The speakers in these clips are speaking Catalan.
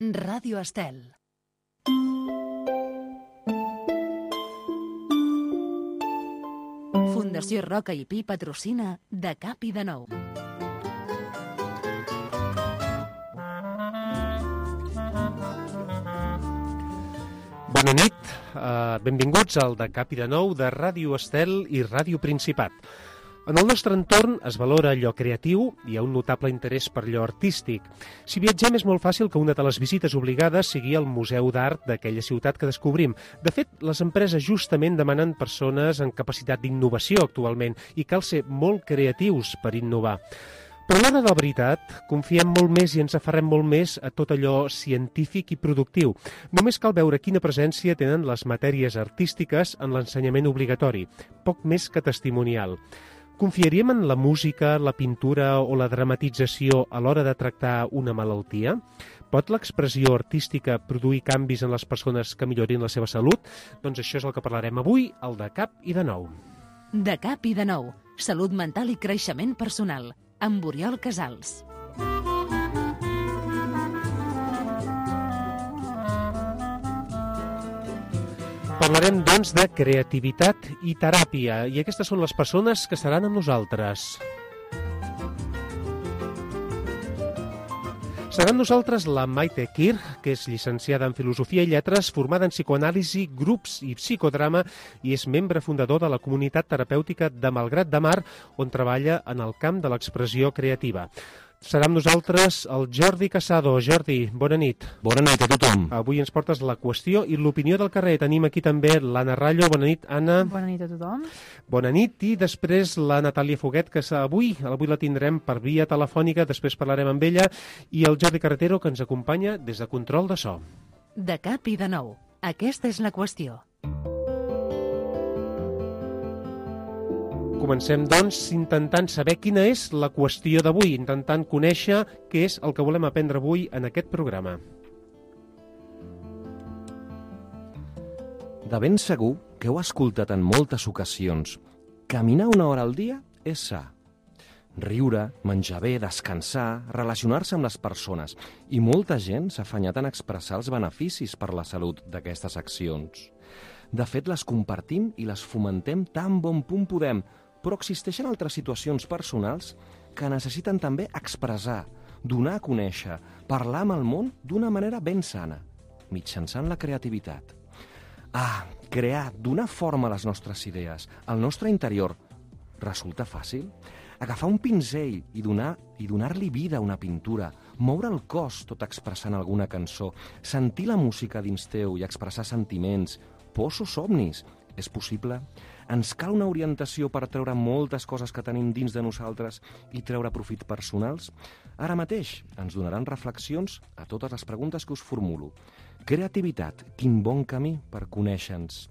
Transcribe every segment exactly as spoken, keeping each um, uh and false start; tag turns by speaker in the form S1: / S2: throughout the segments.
S1: Ràdio Estel. Fundació Roca i Pi patrocina De Cap i de Nou.
S2: Bona nit, uh, benvinguts al De Cap i de Nou de Ràdio Estel i Ràdio Principat. En el nostre entorn es valora allò creatiu i hi ha un notable interès per allò artístic. Si viatgem és molt fàcil que una de les visites obligades sigui el Museu d'Art d'aquella ciutat que descobrim. De fet, les empreses justament demanen persones amb capacitat d'innovació actualment i cal ser molt creatius per innovar. Però a l'hora de la veritat, confiem molt més i ens aferrem molt més a tot allò científic i productiu. Només cal veure quina presència tenen les matèries artístiques en l'ensenyament obligatori, poc més que testimonial. Confiaríem en la música, la pintura o la dramatització a l'hora de tractar una malaltia? Pot l'expressió artística produir canvis en les persones que millorin la seva salut? Doncs això és el que parlarem avui al De Cap i de Nou.
S1: De Cap i de Nou, salut mental i creixement personal, amb Oriol Casals.
S2: Parlarem, doncs, de creativitat i teràpia, i aquestes són les persones que seran amb nosaltres. Serà amb nosaltres la Maite Kirch, que és llicenciada en Filosofia i Lletres, formada en psicoanàlisi, grups i psicodrama, i és membre fundador de la comunitat terapèutica de Malgrat de Mar, on treballa en el camp de l'expressió creativa. Serà amb nosaltres el Jordi Casado. Jordi, bona nit.
S3: Bona nit a tothom.
S2: Avui ens portes la qüestió i l'opinió del carrer. Tenim aquí també l'Anna Rallo. Bona nit, Anna.
S4: Bona nit a tothom.
S2: Bona nit. I després la Natàlia Foguet, que avui, avui la tindrem per via telefònica, després parlarem amb ella, i el Jordi Carretero, que ens acompanya des de control de so.
S1: De Cap i de Nou. Aquesta és la qüestió.
S2: Comencem, doncs, intentant saber quina és la qüestió d'avui, intentant conèixer què és el que volem aprendre avui en aquest programa.
S3: De ben segur que heu escoltat en moltes ocasions. Caminar una hora al dia és sa. Riure, menjar bé, descansar, relacionar-se amb les persones. I molta gent s'ha afanyat en expressar els beneficis per la salut d'aquestes accions. De fet, les compartim i les fomentem tan bon punt podem, però existeixen altres situacions personals que necessiten també expressar, donar a conèixer, parlar amb el món d'una manera ben sana, mitjançant la creativitat. Ah, crear, donar forma a les nostres idees, al nostre interior, resulta fàcil? Agafar un pinzell i donar i donar-li vida a una pintura, moure el cos tot expressant alguna cançó, sentir la música dins teu i expressar sentiments, pors o somnis. És possible? Ens cal una orientació per treure moltes coses que tenim dins de nosaltres i treure profit personals? Ara mateix ens donaran reflexions a totes les preguntes que us formulo. Creativitat, quin bon camí per conèixer-nos.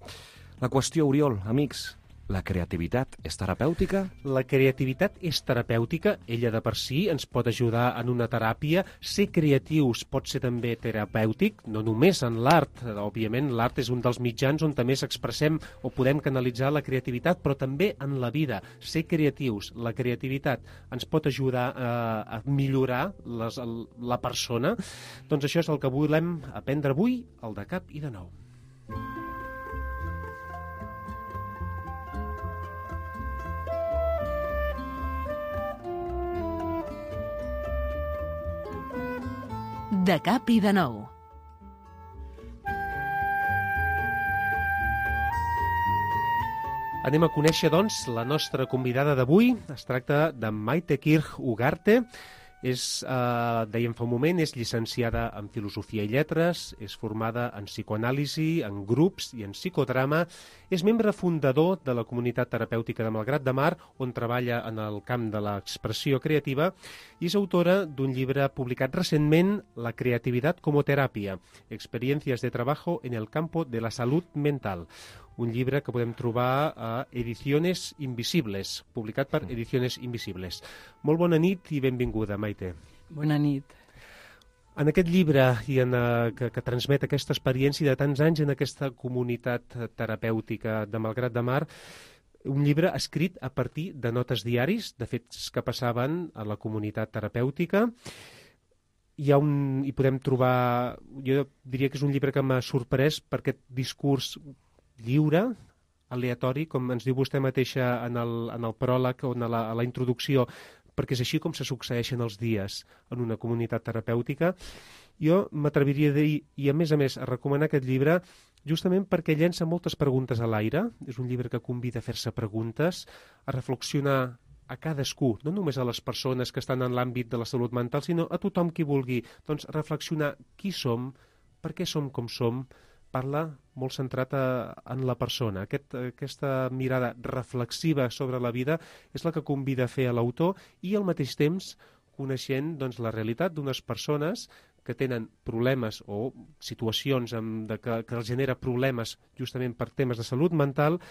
S3: La qüestió, Oriol, amics, la creativitat és terapèutica?
S2: La creativitat és terapèutica, ella de per si ens pot ajudar en una teràpia. Ser creatius pot ser també terapèutic, no només en l'art. Òbviament, l'art és un dels mitjans on també expressem o podem canalitzar la creativitat, però també en la vida. Ser creatius, la creativitat ens pot ajudar a, a millorar les, la persona. Doncs això és el que volem aprendre avui, al De Cap i de Nou.
S1: De Cap i de Nou.
S2: Anem a conèixer, doncs, la nostra convidada d'avui. Es tracta de Maite Kirch Ugarte. És, eh, dèiem fa un moment, és llicenciada en Filosofia i Lletres, és formada en psicoanàlisi, en grups i en psicodrama, és membre fundador de la comunitat terapèutica de Malgrat de Mar, on treballa en el camp de l'expressió creativa, i és autora d'un llibre publicat recentment, La creativitat como terapia, experiencias de trabajo en el campo de la salud mental. Un llibre que podem trobar a Ediciones Invisibles, publicat per Ediciones Invisibles. Molt bona nit i benvinguda, Maite.
S4: Bona nit.
S2: En aquest llibre i en, uh, que, que transmet aquesta experiència de tants anys en aquesta comunitat terapèutica de Malgrat de Mar, un llibre escrit a partir de notes diaris, de fets que passaven a la comunitat terapèutica, hi, ha un, hi podem trobar... Jo diria que és un llibre que m'ha sorprès per aquest discurs lliure, aleatori, com ens diu vostè mateixa en el, en el pròleg o en la, a la introducció, perquè és així com se succeeixen els dies en una comunitat terapèutica. Jo m'atreviria a dir, i a més a més, a recomanar aquest llibre justament perquè llença moltes preguntes a l'aire. És un llibre que convida a fer-se preguntes, a reflexionar a cadascú, no només a les persones que estan en l'àmbit de la salut mental, sinó a tothom qui vulgui, doncs, reflexionar qui som, per què som com som. Parla molt centrat a, en la persona. Aquest, aquesta mirada reflexiva sobre la vida és la que convida a fer a l'autor i al mateix temps coneixent doncs, la realitat d'unes persones que tenen problemes o situacions amb, de que, que els genera problemes justament per temes de salut mental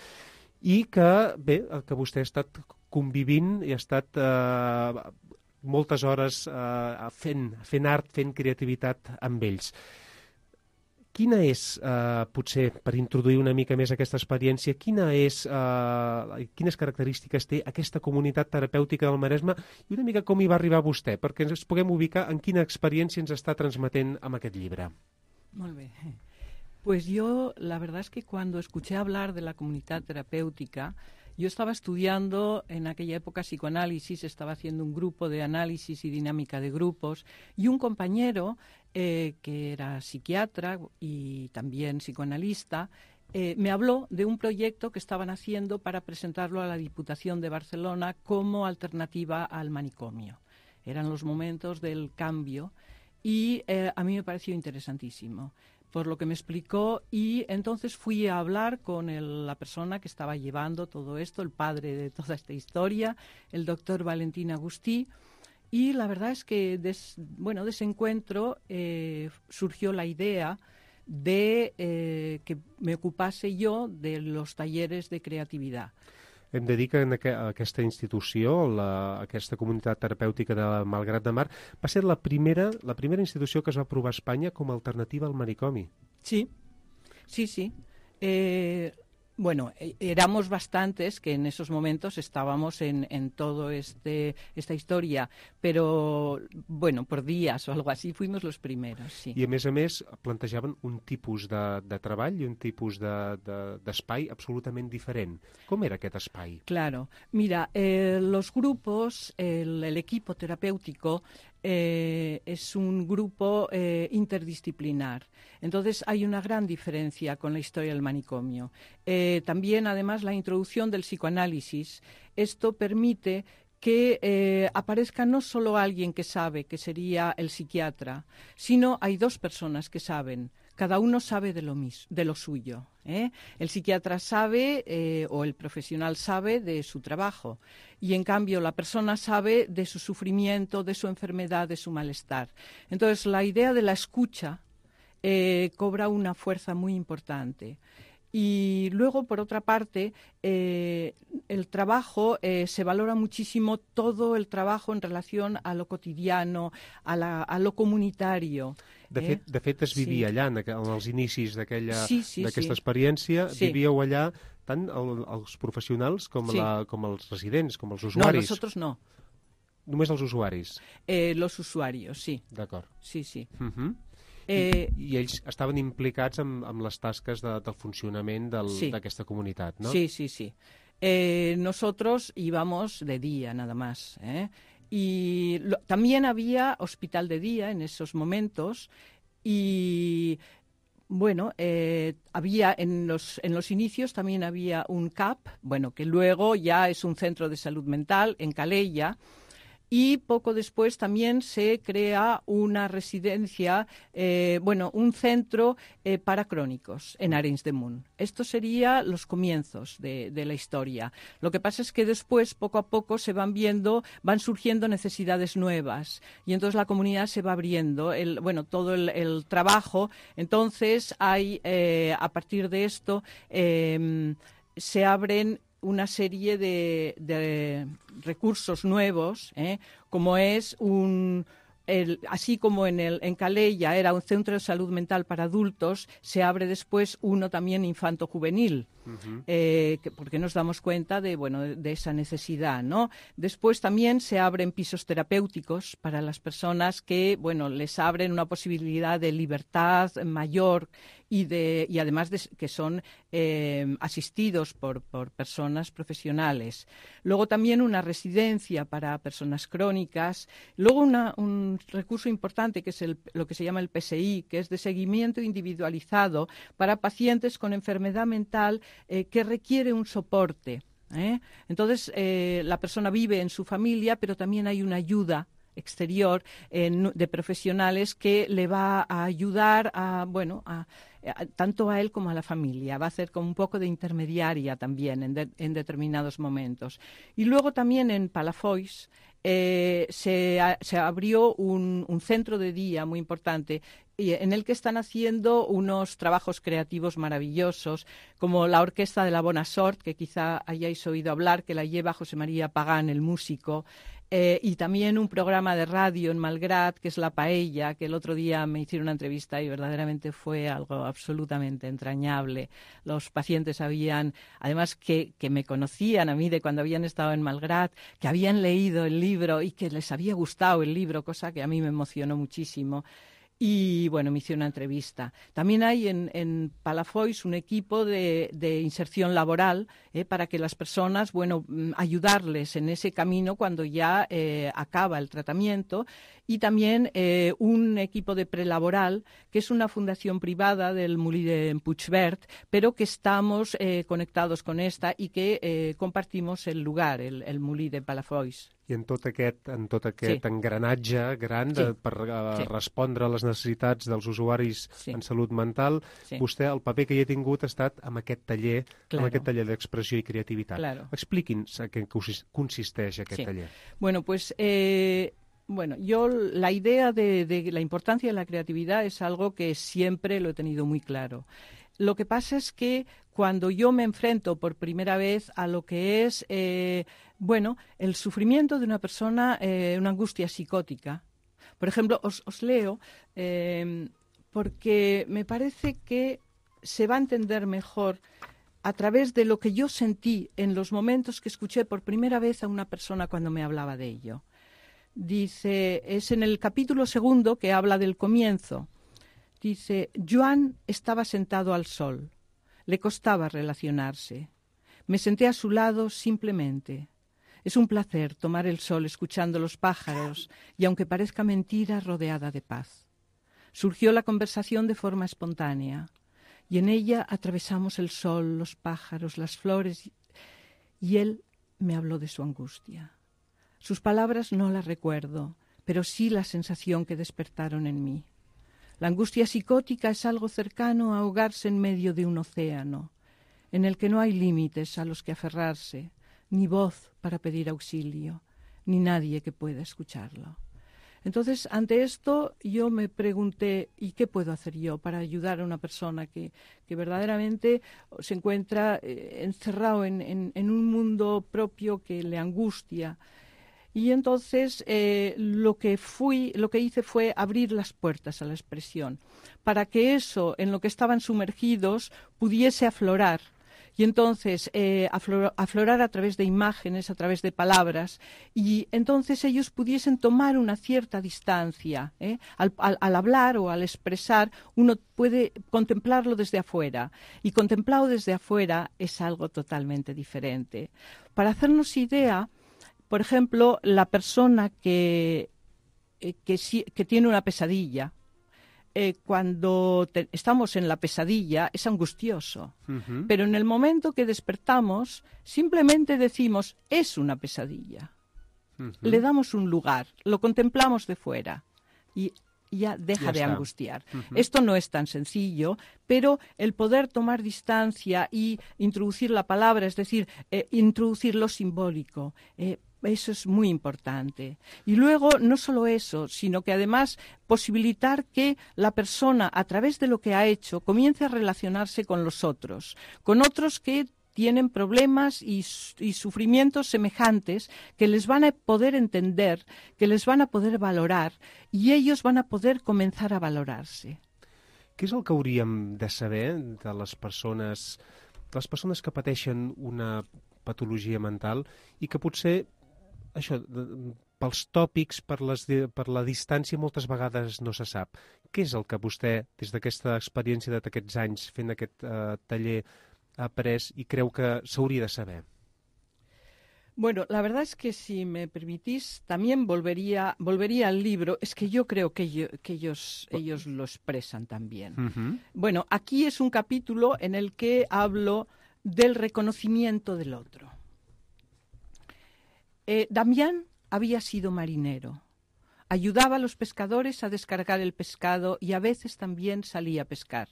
S2: i que, bé, que vostè ha estat convivint i ha estat eh, moltes hores eh, fent, fent art, fent creativitat amb ells. Quina és, eh, potser, per introduir una mica més aquesta experiència, quina és, eh, quines característiques té aquesta comunitat terapèutica del Maresme i una mica com hi va arribar vostè, perquè ens puguem ubicar en quina experiència ens està transmetent amb aquest llibre?
S4: Molt bé. Pues yo, la verdad es que cuando escuché hablar de la comunidad terapéutica, yo estaba estudiando en aquella época psicoanálisis, estaba haciendo un grupo de análisis y dinámica de grupos, y un compañero eh, que era psiquiatra y también psicoanalista, eh, me habló de un proyecto que estaban haciendo para presentarlo a la Diputación de Barcelona como alternativa al manicomio. Eran los momentos del cambio y eh, a mí me pareció interesantísimo, por lo que me explicó, y entonces fui a hablar con el, la persona que estaba llevando todo esto, el padre de toda esta historia, el doctor Valentín Agustí, y la verdad es que des, bueno, de ese encuentro eh, surgió la idea de eh, que me ocupase yo de los talleres de creatividad.
S2: Hem de dir que en aqu aquesta institució, la, aquesta comunitat terapèutica de Malgrat de Mar, va ser la primera, la primera institució que es va aprovar a Espanya com a alternativa al manicomi.
S4: Sí, sí, sí. Eh, bueno, éramos bastantes que en esos momentos estábamos en, en todo este esta historia, pero, bueno, por días o algo así, fuimos los primeros, sí.
S2: I, a més a més, plantejaven un tipus de, de treball i un tipus d'espai de, de, absolutament diferent. Com era aquest espai?
S4: Claro. Mira, eh, los grupos, el, el equipo terapéutico eh, es un grupo eh, interdisciplinar. Entonces hay una gran diferencia con la historia del manicomio. Eh, también, además, la introducción del psicoanálisis. Esto permite que eh, aparezca no solo alguien que sabe, que sería el psiquiatra, sino hay dos personas que saben. Cada uno sabe de lo mismo, de lo suyo, ¿eh? El psiquiatra sabe eh, o el profesional sabe de su trabajo y, en cambio, la persona sabe de su sufrimiento, de su enfermedad, de su malestar. Entonces, la idea de la escucha eh, cobra una fuerza muy importante. Y luego, por otra parte, eh, el trabajo, eh, se valora muchísimo todo el trabajo en relación a lo cotidiano, a, la, a lo comunitario.
S2: De fet, eh? de fet es vivia sí. allà, en, en els inicis d'aquesta
S4: sí, sí,
S2: sí.
S4: sí.
S2: experiència, vivíeu allà tant el, els professionals com,
S4: sí.
S2: la, com els residents, com els usuaris.
S4: No, nosotros no.
S2: Només els usuaris?
S4: Eh, los usuarios, sí.
S2: D'acord.
S4: Sí, sí.
S2: Uh-huh.
S4: Eh,
S2: I, I ells estaven implicats amb, amb les tasques de, del funcionament d'aquesta sí. comunitat, ¿no?
S4: Sí, sí, sí. Eh, nosotros íbamos de día nada más, ¿eh? Y lo, también había hospital de día en esos momentos y, bueno, eh, había en los, en los inicios también había un C A P, bueno, que luego ya es un centro de salud mental en Calella. Y poco después también se crea una residencia, eh, bueno, un centro eh, para crónicos en Arenys de Munt. Estos serían los comienzos de, de la historia. Lo que pasa es que después, poco a poco, se van viendo, van surgiendo necesidades nuevas. Y entonces la comunidad se va abriendo, el, bueno, todo el, el trabajo. Entonces hay, eh, a partir de esto, eh, se abren una serie de, de recursos nuevos, ¿eh? Como es un, el, así como en, el, en Calella era un centro de salud mental para adultos, se abre después uno también infanto-juvenil. Uh-huh. eh, que, porque nos damos cuenta de, bueno, de, de esa necesidad, ¿no? Después también se abren pisos terapéuticos para las personas que, bueno, les abren una posibilidad de libertad mayor y, de, y además de, que son eh, asistidos por, por personas profesionales. Luego también una residencia para personas crónicas. Luego una, un recurso importante que es el, lo que se llama el P S I, que es de seguimiento individualizado para pacientes con enfermedad mental eh, que requiere un soporte. ¿eh? Entonces, eh, la persona vive en su familia, pero también hay una ayuda exterior eh, de profesionales que le va a ayudar a, bueno, a, a, tanto a él como a la familia. Va a ser como un poco de intermediaria también en, de, en determinados momentos. Y luego también en Palafolls eh, se, a, se abrió un, un centro de día muy importante en el que están haciendo unos trabajos creativos maravillosos, como la Orquesta de la Bona Sort, que quizá hayáis oído hablar, que la lleva José María Pagán, el músico, eh, y también un programa de radio en Malgrat, que es La Paella, que el otro día me hicieron una entrevista y verdaderamente fue algo absolutamente entrañable. Los pacientes sabían, además que, que me conocían a mí de cuando habían estado en Malgrat, que habían leído el libro y que les había gustado el libro, cosa que a mí me emocionó muchísimo. Y, bueno, me hice una entrevista. También hay en, en Palafolls un equipo de, de inserción laboral eh, para que las personas, bueno, ayudarles en ese camino cuando ya eh, acaba el tratamiento. Y también eh, un equipo de prelaboral, que es una fundación privada del Molí de Puigverd, pero que estamos eh, conectados con esta i que eh, compartimos el lugar, el, el Molí de Palafolls.
S2: I en tot aquest, en tot aquest sí. engranatge gran de, sí. per uh, sí. respondre a les necessitats dels usuaris sí. en salut mental, sí. vostè, el paper que hi ha tingut ha estat amb aquest taller, claro. amb aquest taller d'expressió i creativitat. Claro. Expliqui'ns a què consisteix aquest sí. taller.
S4: Bueno, pues... Eh... Bueno, yo la idea de, de la importancia de la creatividad es algo que siempre lo he tenido muy claro. Lo que pasa es que cuando yo me enfrento por primera vez a lo que es, eh, bueno, el sufrimiento de una persona, eh, una angustia psicótica. Por ejemplo, os, os leo eh, porque me parece que se va a entender mejor a través de lo que yo sentí en los momentos que escuché por primera vez a una persona cuando me hablaba de ello. Dice, es en el capítulo segundo que habla del comienzo. Dice, Joan estaba sentado al sol. Le costaba relacionarse. Me senté a su lado simplemente. Es un placer tomar el sol escuchando los pájaros y, aunque parezca mentira, rodeada de paz. Surgió la conversación de forma espontánea y en ella atravesamos el sol, los pájaros, las flores y él me habló de su angustia. Sus palabras no las recuerdo, pero sí la sensación que despertaron en mí. La angustia psicótica es algo cercano a ahogarse en medio de un océano, en el que no hay límites a los que aferrarse, ni voz para pedir auxilio, ni nadie que pueda escucharlo. Entonces, ante esto, yo me pregunté, ¿y qué puedo hacer yo para ayudar a una persona que, que verdaderamente se encuentra eh, encerrado en, en, en un mundo propio que le angustia? Y entonces eh, lo que fui, lo que hice fue abrir las puertas a la expresión, para que eso en lo que estaban sumergidos pudiese aflorar. Y entonces eh, aflor, aflorar a través de imágenes, a través de palabras, y entonces ellos pudiesen tomar una cierta distancia. ¿eh? Al, al, al hablar o al expresar, uno puede contemplarlo desde afuera, y contemplado desde afuera es algo totalmente diferente. Para hacernos idea, por ejemplo, la persona que, eh, que, que tiene una pesadilla, eh, cuando te, estamos en la pesadilla es angustioso, uh-huh. pero en el momento que despertamos simplemente decimos, es una pesadilla. Uh-huh. Le damos un lugar, lo contemplamos de fuera y ya deja ya de está. angustiar. Uh-huh. Esto no es tan sencillo, pero el poder tomar distancia y introducir la palabra, es decir, eh, introducir lo simbólico, eh, eso es muy importante. Y luego, no solo eso, sino que además posibilitar que la persona, a través de lo que ha hecho, comience a relacionarse con los otros, con otros que tienen problemas y, y sufrimientos semejantes que les van a poder entender, que les van a poder valorar y ellos van a poder comenzar a valorarse.
S2: Què és el que hauríem de saber de les persones, les persones que pateixen una patologia mental i que potser, això, pels tòpics, per, les, per la distància, moltes vegades no se sap? Què és el que vostè, des d'aquesta experiència d'aquests anys fent aquest eh, taller, ha après i creu que s'hauria de saber?
S4: Bueno, la verdad es que si me permitís, también volvería, volvería al libro. Es que yo creo que, yo, que ellos, ellos lo expresan también. Uh-huh. Bueno, aquí es un capítulo en el que hablo del reconocimiento del otro. Eh, Damián había sido marinero. Ayudaba a los pescadores a descargar el pescado y a veces también salía a pescar.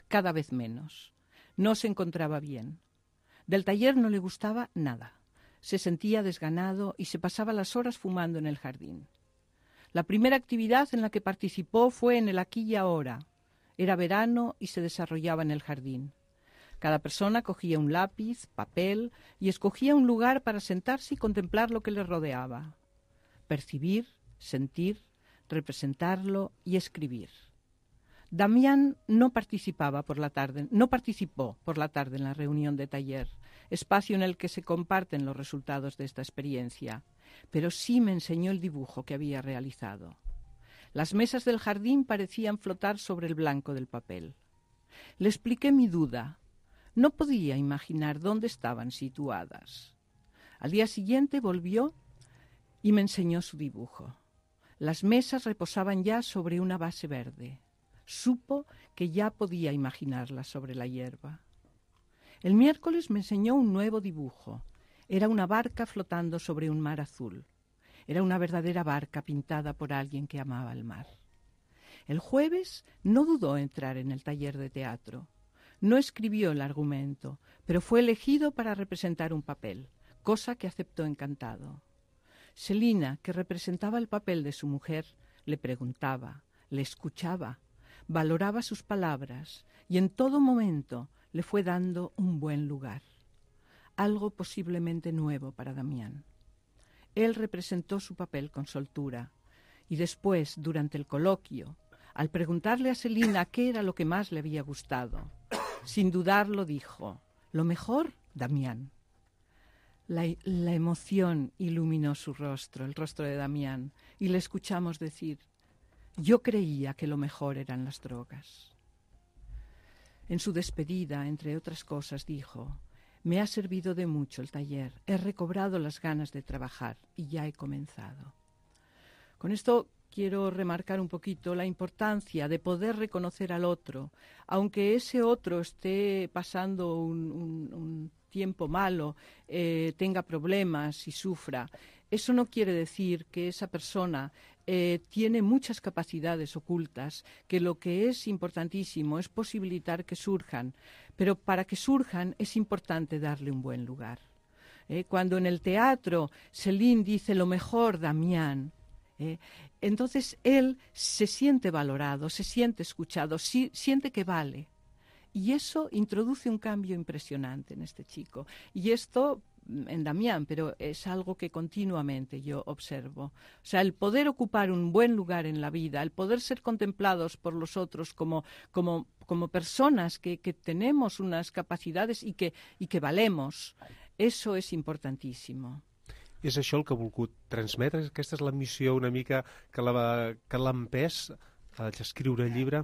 S4: Cada vez menos. No se encontraba bien. Del taller no le gustaba nada. Se sentía desganado y se pasaba las horas fumando en el jardín. La primera actividad en la que participó fue en el aquí y ahora. Era verano y se desarrollaba en el jardín. Cada persona cogía un lápiz, papel y escogía un lugar para sentarse y contemplar lo que le rodeaba. Percibir, sentir, representarlo y escribir. Damián no participaba por la tarde, no participó por la tarde en la reunión de taller, espacio en el que se comparten los resultados de esta experiencia, pero sí me enseñó el dibujo que había realizado. Las mesas del jardín parecían flotar sobre el blanco del papel. Le expliqué mi duda. No podía imaginar dónde estaban situadas. Al día siguiente volvió y me enseñó su dibujo. Las mesas reposaban ya sobre una base verde. Supo que ya podía imaginarlas sobre la hierba. El miércoles me enseñó un nuevo dibujo. Era una barca flotando sobre un mar azul. Era una verdadera barca pintada por alguien que amaba el mar. El jueves no dudó en entrar en el taller de teatro. No escribió el argumento, pero fue elegido para representar un papel, cosa que aceptó encantado. Selina, que representaba el papel de su mujer, le preguntaba, le escuchaba, valoraba sus palabras y en todo momento le fue dando un buen lugar, algo posiblemente nuevo para Damián. Él representó su papel con soltura y después, durante el coloquio, al preguntarle a Selina qué era lo que más le había gustado, sin dudarlo dijo, lo mejor, Damián. La, la emoción iluminó su rostro, el rostro de Damián, y le escuchamos decir, yo creía que lo mejor eran las drogas. En su despedida, entre otras cosas, dijo, me ha servido de mucho el taller, he recobrado las ganas de trabajar y ya he comenzado. Con esto quiero remarcar un poquito la importancia de poder reconocer al otro, aunque ese otro esté pasando un, un, un tiempo malo, eh, tenga problemas y sufra. Eso no quiere decir que esa persona eh, tiene muchas capacidades ocultas, que lo que es importantísimo es posibilitar que surjan, pero para que surjan es importante darle un buen lugar. Eh, cuando en el teatro Céline dice lo mejor, Damián, eh, entonces él se siente valorado, se siente escuchado, si, siente que vale. Y eso introduce un cambio impresionante en este chico. Y esto en Damián, pero es algo que continuamente yo observo. O sea, el poder ocupar un buen lugar en la vida, el poder ser contemplados por los otros como, como, como personas que, que tenemos unas capacidades y que, y que valemos, eso es importantísimo.
S2: És això el que ha volgut transmetre? Aquesta és la missió una mica que l'ha que l'ha empès a escriure el llibre?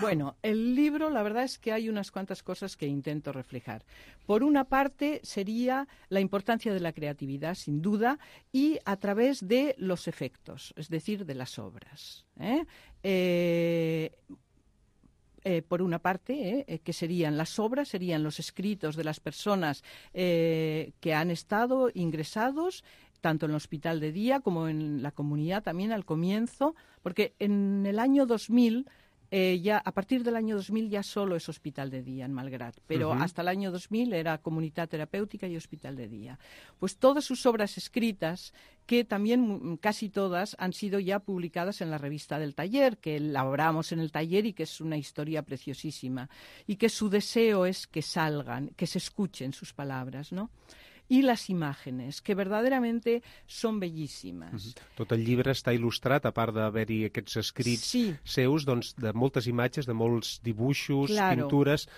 S4: Bueno, el libro, la verdad es que hay unas cuantas cosas que intento reflejar. Por una parte sería la importancia de la creatividad, sin duda, y a través de los efectos, es decir, de las obras. ¿eh? Eh, eh, por una parte, eh, que serían las obras, serían los escritos de las personas eh, que han estado ingresados, tanto en el hospital de día como en la comunidad también al comienzo, porque en el año dos mil Eh, ya a partir del año dos mil ya solo es hospital de día en Malgrat, pero uh-huh. hasta el año dos mil era comunidad terapéutica y hospital de día. Pues todas sus obras escritas, que también casi todas han sido ya publicadas en la revista del taller, que elaboramos en el taller y que es una historia preciosísima, y que su deseo es que salgan, que se escuchen sus palabras, ¿no? I les imatges, que verdaderamente són bellíssimes.
S2: Uh-huh. Tot el llibre està il·lustrat, a part d'haver-hi aquests escrits
S4: sí.
S2: seus, doncs, de moltes imatges, de molts dibuixos, claro. pintures,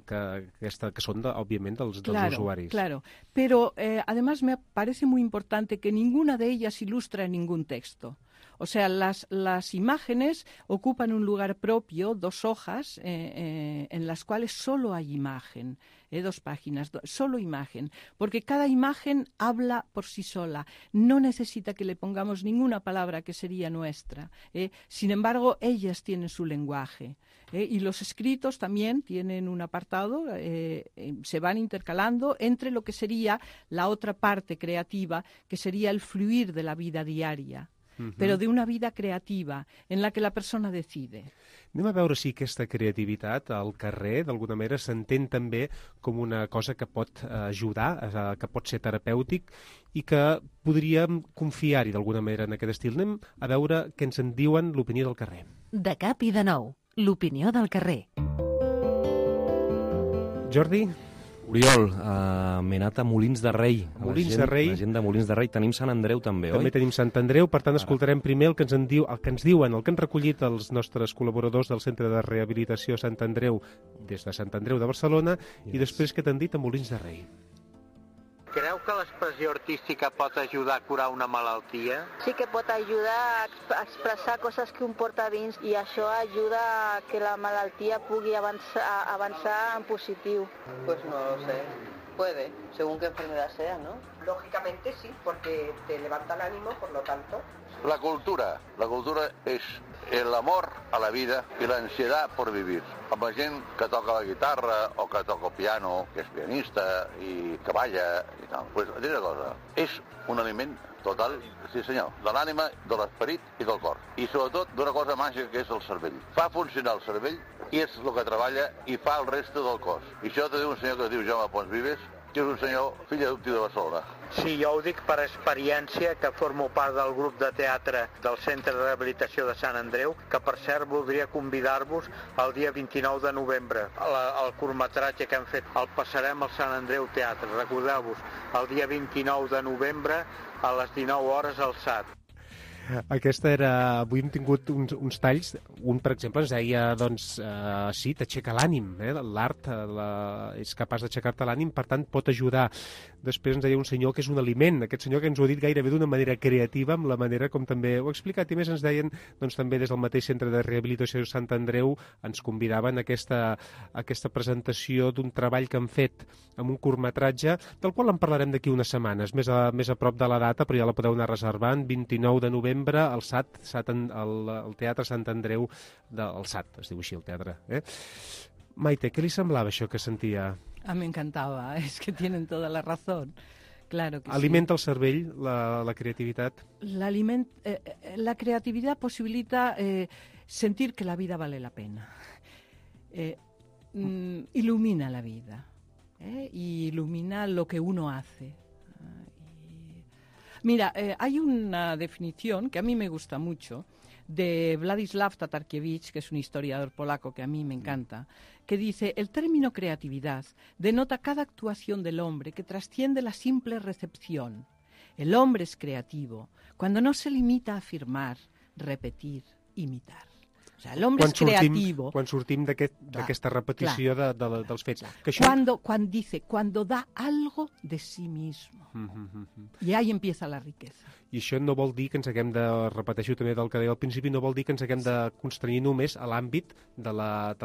S2: que, aquesta, que són, de, òbviament, dels, dels
S4: claro,
S2: usuaris.
S4: Claro, pero eh, además me parece muy importante que ninguna de ellas ilustra ningún texto. O sea, las, las imágenes ocupan un lugar propio, dos hojas, eh, eh, en las cuales solo hay imagen, eh, dos páginas, do, solo imagen, porque cada imagen habla por sí sola, no necesita que le pongamos ninguna palabra que sería nuestra. Eh. Sin embargo, ellas tienen su lenguaje. Eh, y los escritos también tienen un apartado, eh, eh, se van intercalando entre lo que sería la otra parte creativa, que sería el fluir de la vida diaria. Uh-huh. Però d'una vida creativa en la que la persona decide.
S2: Anem a veure si aquesta creativitat al carrer, d'alguna manera, s'entén també com una cosa que pot ajudar, que pot ser terapèutic i que podríem confiar-hi d'alguna manera en aquest estil. Anem a veure què ens en diuen l'opinió del carrer.
S1: De cap i de nou, l'opinió del carrer.
S2: Jordi?
S3: Oriol, uh, m'he anat a Molins de Rei.
S2: Molins
S3: gent,
S2: de Rei.
S3: La gent de Molins de Rei. Tenim Sant Andreu també,
S2: també oi? També tenim Sant Andreu, per tant escoltarem primer el que ens en diu, el que ens diuen, el que han recollit els nostres col·laboradors del Centre de Rehabilitació Sant Andreu des de Sant Andreu de Barcelona yes. i després què t'han dit a Molins de Rei.
S5: Creu que l'expressió artística pot ajudar a curar una malaltia?
S6: Sí que pot ajudar a expressar coses que un porta dins i això ajuda a que la malaltia pugui avançar, avançar en positiu.
S7: Pues no lo sé. Puede, según qué enfermedad sea, ¿no?
S8: Lógicamente sí, porque te levanta el ánimo, por lo tanto.
S9: La cultura. La cultura és el amor a la vida i l'ansietat per vivir. Amb la gent que toca la guitarra o que toca el piano, que és pianista i que balla i tal. Pues, diré una cosa, és un aliment total, sí senyor, de l'ànima, de l'esperit i del cor. I sobretot d'una cosa màgica que és el cervell. Fa funcionar el cervell i és el que treballa i fa el reste del cos. I això t'ho diu un senyor que es diu Jaume Pons Vives, que és un senyor fill adoptiu de Barcelona.
S5: Sí, jo ho dic per experiència, que formo part del grup de teatre del Centre de Rehabilitació de Sant Andreu, que per cert voldria convidar-vos el dia vint-i-nou de novembre. El, el curtmetratge que hem fet el passarem al Sant Andreu Teatre. Recordeu-vos, el dia vint-i-nou de novembre a les dinou hores al S A T.
S2: Aquesta era... Avui hem tingut uns, uns talls. Un, per exemple, ens deia, doncs, eh, sí, t'aixeca l'ànim. Eh? L'art la... és capaç d'aixecar-te l'ànim, per tant, pot ajudar. Després ens deia un senyor que és un aliment. Aquest senyor que ens ho ha dit gairebé d'una manera creativa, amb la manera com també ho ha explicat. I més ens deien, doncs, també des del mateix Centre de Rehabilitació de Sant Andreu, ens convidaven a aquesta, a aquesta presentació d'un treball que han fet amb un curtmetratge, del qual en parlarem d'aquí unes setmanes, més a, més a prop de la data, però ja la podeu anar reservant, vint-i-nou de novembre, al S A T, S A T el, el Teatre Sant Andreu, del S A T, es diu així el teatre. Eh? Maite, què li semblava això que sentia?
S4: Ah, me encantaba, es que tienen toda la razón. Claro que
S2: Alimenta
S4: sí.
S2: el cervell, la, la creativitat?
S4: La, aliment, eh, la creatividad posibilita eh, sentir que la vida vale la pena. Eh, mm, ilumina la vida. Eh, y ilumina lo que uno hace. Mira, eh, hay una definición que a mí me gusta mucho de Władysław Tatarkiewicz, que es un historiador polaco que a mí me encanta, que dice: el término creatividad denota cada actuación del hombre que trasciende la simple recepción. El hombre es creativo cuando no se limita a afirmar, repetir, imitar. O sea, el hombre
S2: quan
S4: es creativo.
S2: Sortim, quan sortim d'aquesta aquest, repetició de, de, dels fets.
S4: Que això... Cuando, cuando dice, cuando da algo de sí mismo.
S2: Mm -hmm.
S4: I ahí empieza la riqueza.
S2: I això no vol dir que ens haguem de, repeteixo també del que deia al principi, no vol dir que ens haguem de constranyir només a l'àmbit de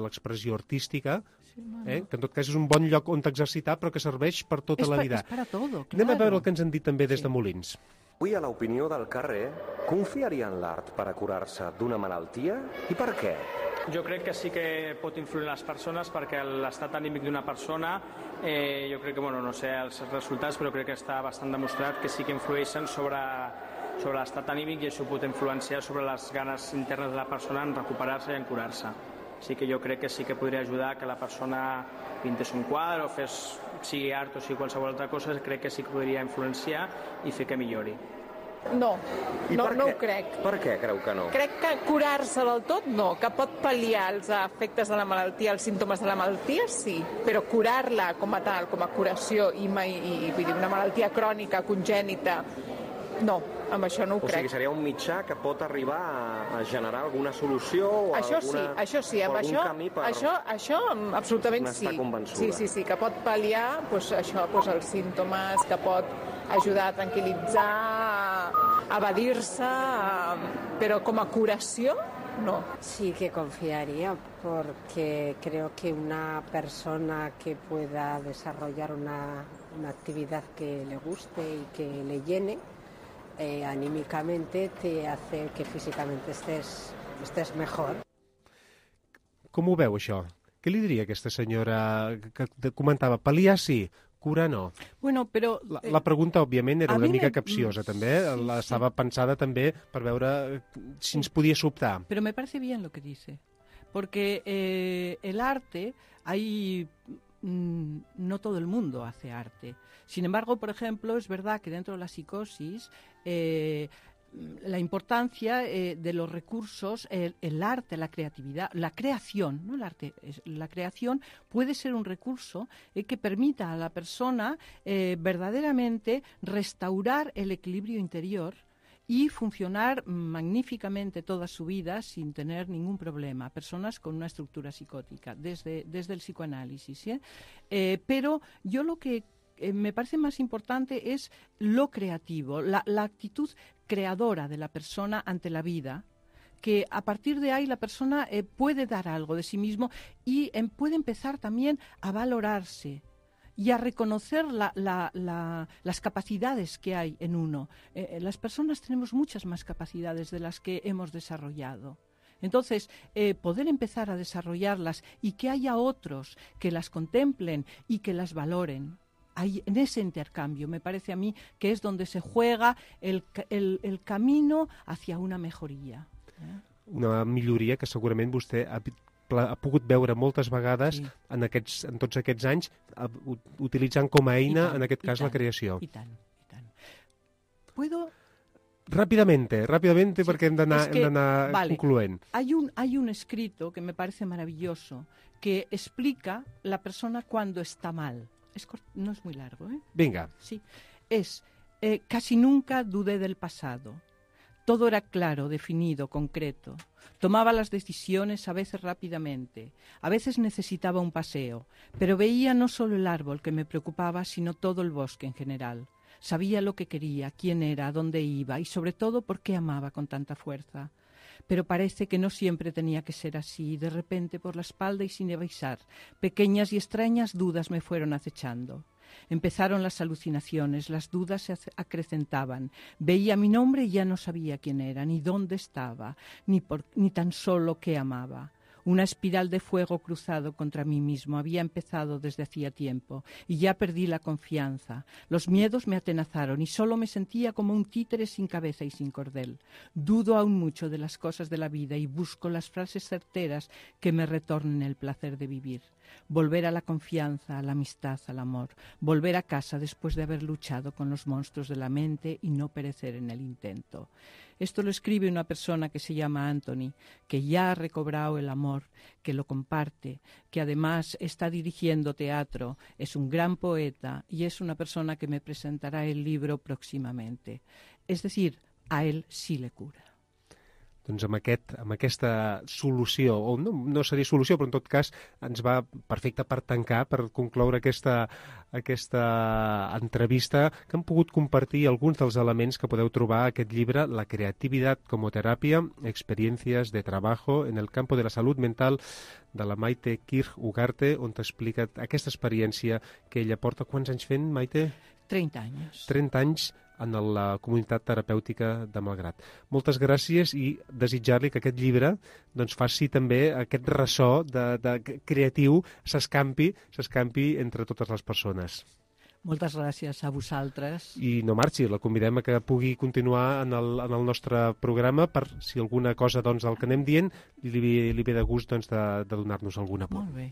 S2: l'expressió artística, sí, eh? que en tot cas és un bon lloc on exercitar, però que serveix per tota
S4: es
S2: la
S4: pa,
S2: vida.
S4: És per a todo, claro.
S2: Anem a veure el que ens han dit també des sí. de Molins.
S3: Avui a l'opinió del carrer, confiaria en l'art per a curar-se d'una malaltia? I per què?
S10: Jo crec que sí que pot influir en les persones, perquè l'estat anímic d'una persona, eh, jo crec que, bueno, no sé els resultats, però crec que està bastant demostrat que sí que influeixen sobre, sobre l'estat anímic i això pot influenciar sobre les ganes internes de la persona en recuperar-se i en curar-se. Sí que jo crec que sí que podria ajudar que la persona pintés un quadre o fes, sigui art o sigui qualsevol altra cosa, crec que sí que podria influenciar i fer que millori.
S11: No,
S12: I
S11: no,
S12: per
S11: no
S12: què?
S11: ho crec.
S12: Per què creu que no?
S11: Crec que curar-se del tot no, que pot pal·liar els efectes de la malaltia, els símptomes de la malaltia, sí, però curar-la com a tal, com a curació i, mai, i vull dir, una malaltia crònica, congènita, no, amb això no ho
S12: O
S11: crec.
S12: sigui, seria un mitjà que pot arribar a, a generar alguna solució o
S11: Això
S12: alguna,
S11: sí, això sí, amb
S12: o algun
S11: això,
S12: camí per
S11: això, això absolutament
S12: n'estar
S11: sí.
S12: convençuda.
S11: Sí, sí, sí, que pot pal·liar doncs, això, doncs, els símptomes, que pot ajudar a tranquil·litzar, a evadir-se, a... però com a curació, no.
S13: Sí que confiaría porque creo que una persona que pueda desarrollar una, una actividad que le guste y que le llene, eh, anímicamente te hace que físicamente estés, estés mejor.
S2: Com ho veu, això? Què li diria aquesta senyora que comentava? Pal·liar sí, curar no.
S4: Bueno, però...
S2: La, la pregunta, òbviament, era
S4: a
S2: una
S4: mi
S2: mica
S4: me-
S2: capciosa, també.
S4: sí,
S2: la
S4: sí.
S2: estava pensada també per veure si ens podia sobtar.
S4: Pero me parece bien lo que dice, porque eh, el arte, hay, mm, no todo el mundo hace arte. Sin embargo, por ejemplo, es verdad que dentro de la psicosis, eh, la importancia eh, de los recursos, el, el arte, la creatividad, la creación, no el arte, es, la creación puede ser un recurso eh, que permita a la persona eh, verdaderamente restaurar el equilibrio interior y funcionar magníficamente toda su vida sin tener ningún problema. Personas con una estructura psicótica, desde, desde el psicoanálisis. ¿sí? Eh, pero yo lo que eh, me parece más importante es lo creativo, la, la actitud creadora de la persona ante la vida, que a partir de ahí la persona eh, puede dar algo de sí mismo y eh, puede empezar también a valorarse y a reconocer la, la, la, las capacidades que hay en uno. Eh, las personas tenemos muchas más capacidades de las que hemos desarrollado. Entonces, eh, poder empezar a desarrollarlas y que haya otros que las contemplen y que las valoren. Hay, en ese intercambio, me parece a mí que es donde se juega el, el, el camino hacia una mejoria. Eh?
S2: Una milloria que segurament vostè ha, ha pogut veure moltes vegades
S4: Sí.
S2: en, aquests, en tots aquests anys, a, utilitzant com a eina,
S4: tant,
S2: en aquest
S4: i
S2: cas, la
S4: tant,
S2: creació.
S4: I tant, i tant. ¿Puedo...?
S2: Rápidamente, rápidamente,
S4: Sí,
S2: perquè hem d'anar
S4: es que,
S2: hem d'anar
S4: vale,
S2: concloent.
S4: Hay un, hay un escrito que me parece maravilloso que explica la persona cuando está mal. Es cort- no es muy largo, ¿eh?
S2: Vinga.
S4: Sí. Es, eh, casi nunca dudé del pasado. Todo era claro, definido, concreto. Tomaba las decisiones a veces rápidamente, a veces necesitaba un paseo, pero veía no solo el árbol que me preocupaba, sino todo el bosque en general. Sabía lo que quería, quién era, a dónde iba y sobre todo por qué amaba con tanta fuerza. Pero parece que no siempre tenía que ser así. De repente, por la espalda y sin avisar, pequeñas y extrañas dudas me fueron acechando. Empezaron las alucinaciones, las dudas se ace- acrecentaban. Veía mi nombre y ya no sabía quién era, ni dónde estaba, ni, por, ni tan solo qué amaba. Una espiral de fuego cruzado contra mí mismo había empezado desde hacía tiempo y ya perdí la confianza. Los miedos me atenazaron y solo me sentía como un títere sin cabeza y sin cordel. Dudo aún mucho de las cosas de la vida y busco las frases certeras que me retornen el placer de vivir. Volver a la confianza, a la amistad, al amor. Volver a casa después de haber luchado con los monstruos de la mente y no perecer en el intento. Esto lo escribe una persona que se llama Anthony, que ya ha recobrado el amor, que lo comparte, que además está dirigiendo teatro, es un gran poeta y es una persona que me presentará el libro próximamente. Es decir, a él sí le cura.
S2: Doncs amb, aquest, amb aquesta solució, o no, no seria solució, però en tot cas ens va perfecte per tancar, per concloure aquesta, aquesta entrevista, que hem pogut compartir alguns dels elements que podeu trobar a aquest llibre, La creatividad como terapia, experiencias de trabajo en el campo de la salud mental, de la Maite Kirch Ugarte, on t'explica aquesta experiència que ella porta. Quants anys fent, Maite?
S4: treinta anys.
S2: trenta anys en la comunitat terapèutica de Malgrat. Moltes gràcies i desitjar-li que aquest llibre doncs, faci també aquest ressò de, de creatiu, s'escampi, s'escampi entre totes les persones.
S4: Moltes gràcies a vosaltres.
S2: I no marxi, la convidem a que pugui continuar en el, en el nostre programa per si alguna cosa doncs, del que anem dient li, li ve de gust doncs, de, de donar-nos algun apunt.
S4: Molt bé.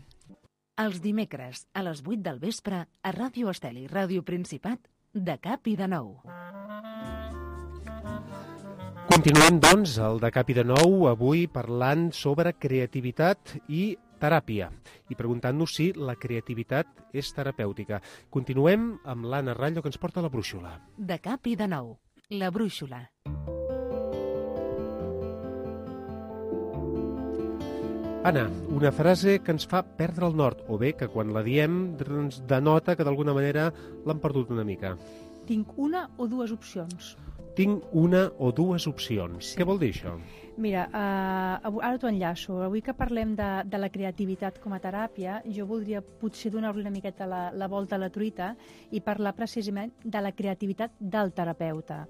S1: Els dimecres, a les vuit del vespre, a Ràdio Estel i Ràdio Principat, de cap i de nou.
S2: Continuem, doncs, el de cap i de nou, avui parlant sobre creativitat i teràpia, i preguntant-nos si la creativitat és terapèutica. Continuem amb l'Anna Rallo, que ens porta la brúixola.
S1: De cap i de nou, la brúixola.
S2: Anna, una frase que ens fa perdre el nord, o bé que quan la diem ens denota que d'alguna manera l'han perdut una mica.
S14: Tinc una o dues opcions.
S2: Tinc una o dues opcions. Sí. Què vol dir això?
S14: Mira, uh, ara t'ho enllaço. Avui que parlem de, de la creativitat com a teràpia, jo voldria potser donar-li una miqueta la, la volta a la truita i parlar precisament de la creativitat del terapeuta.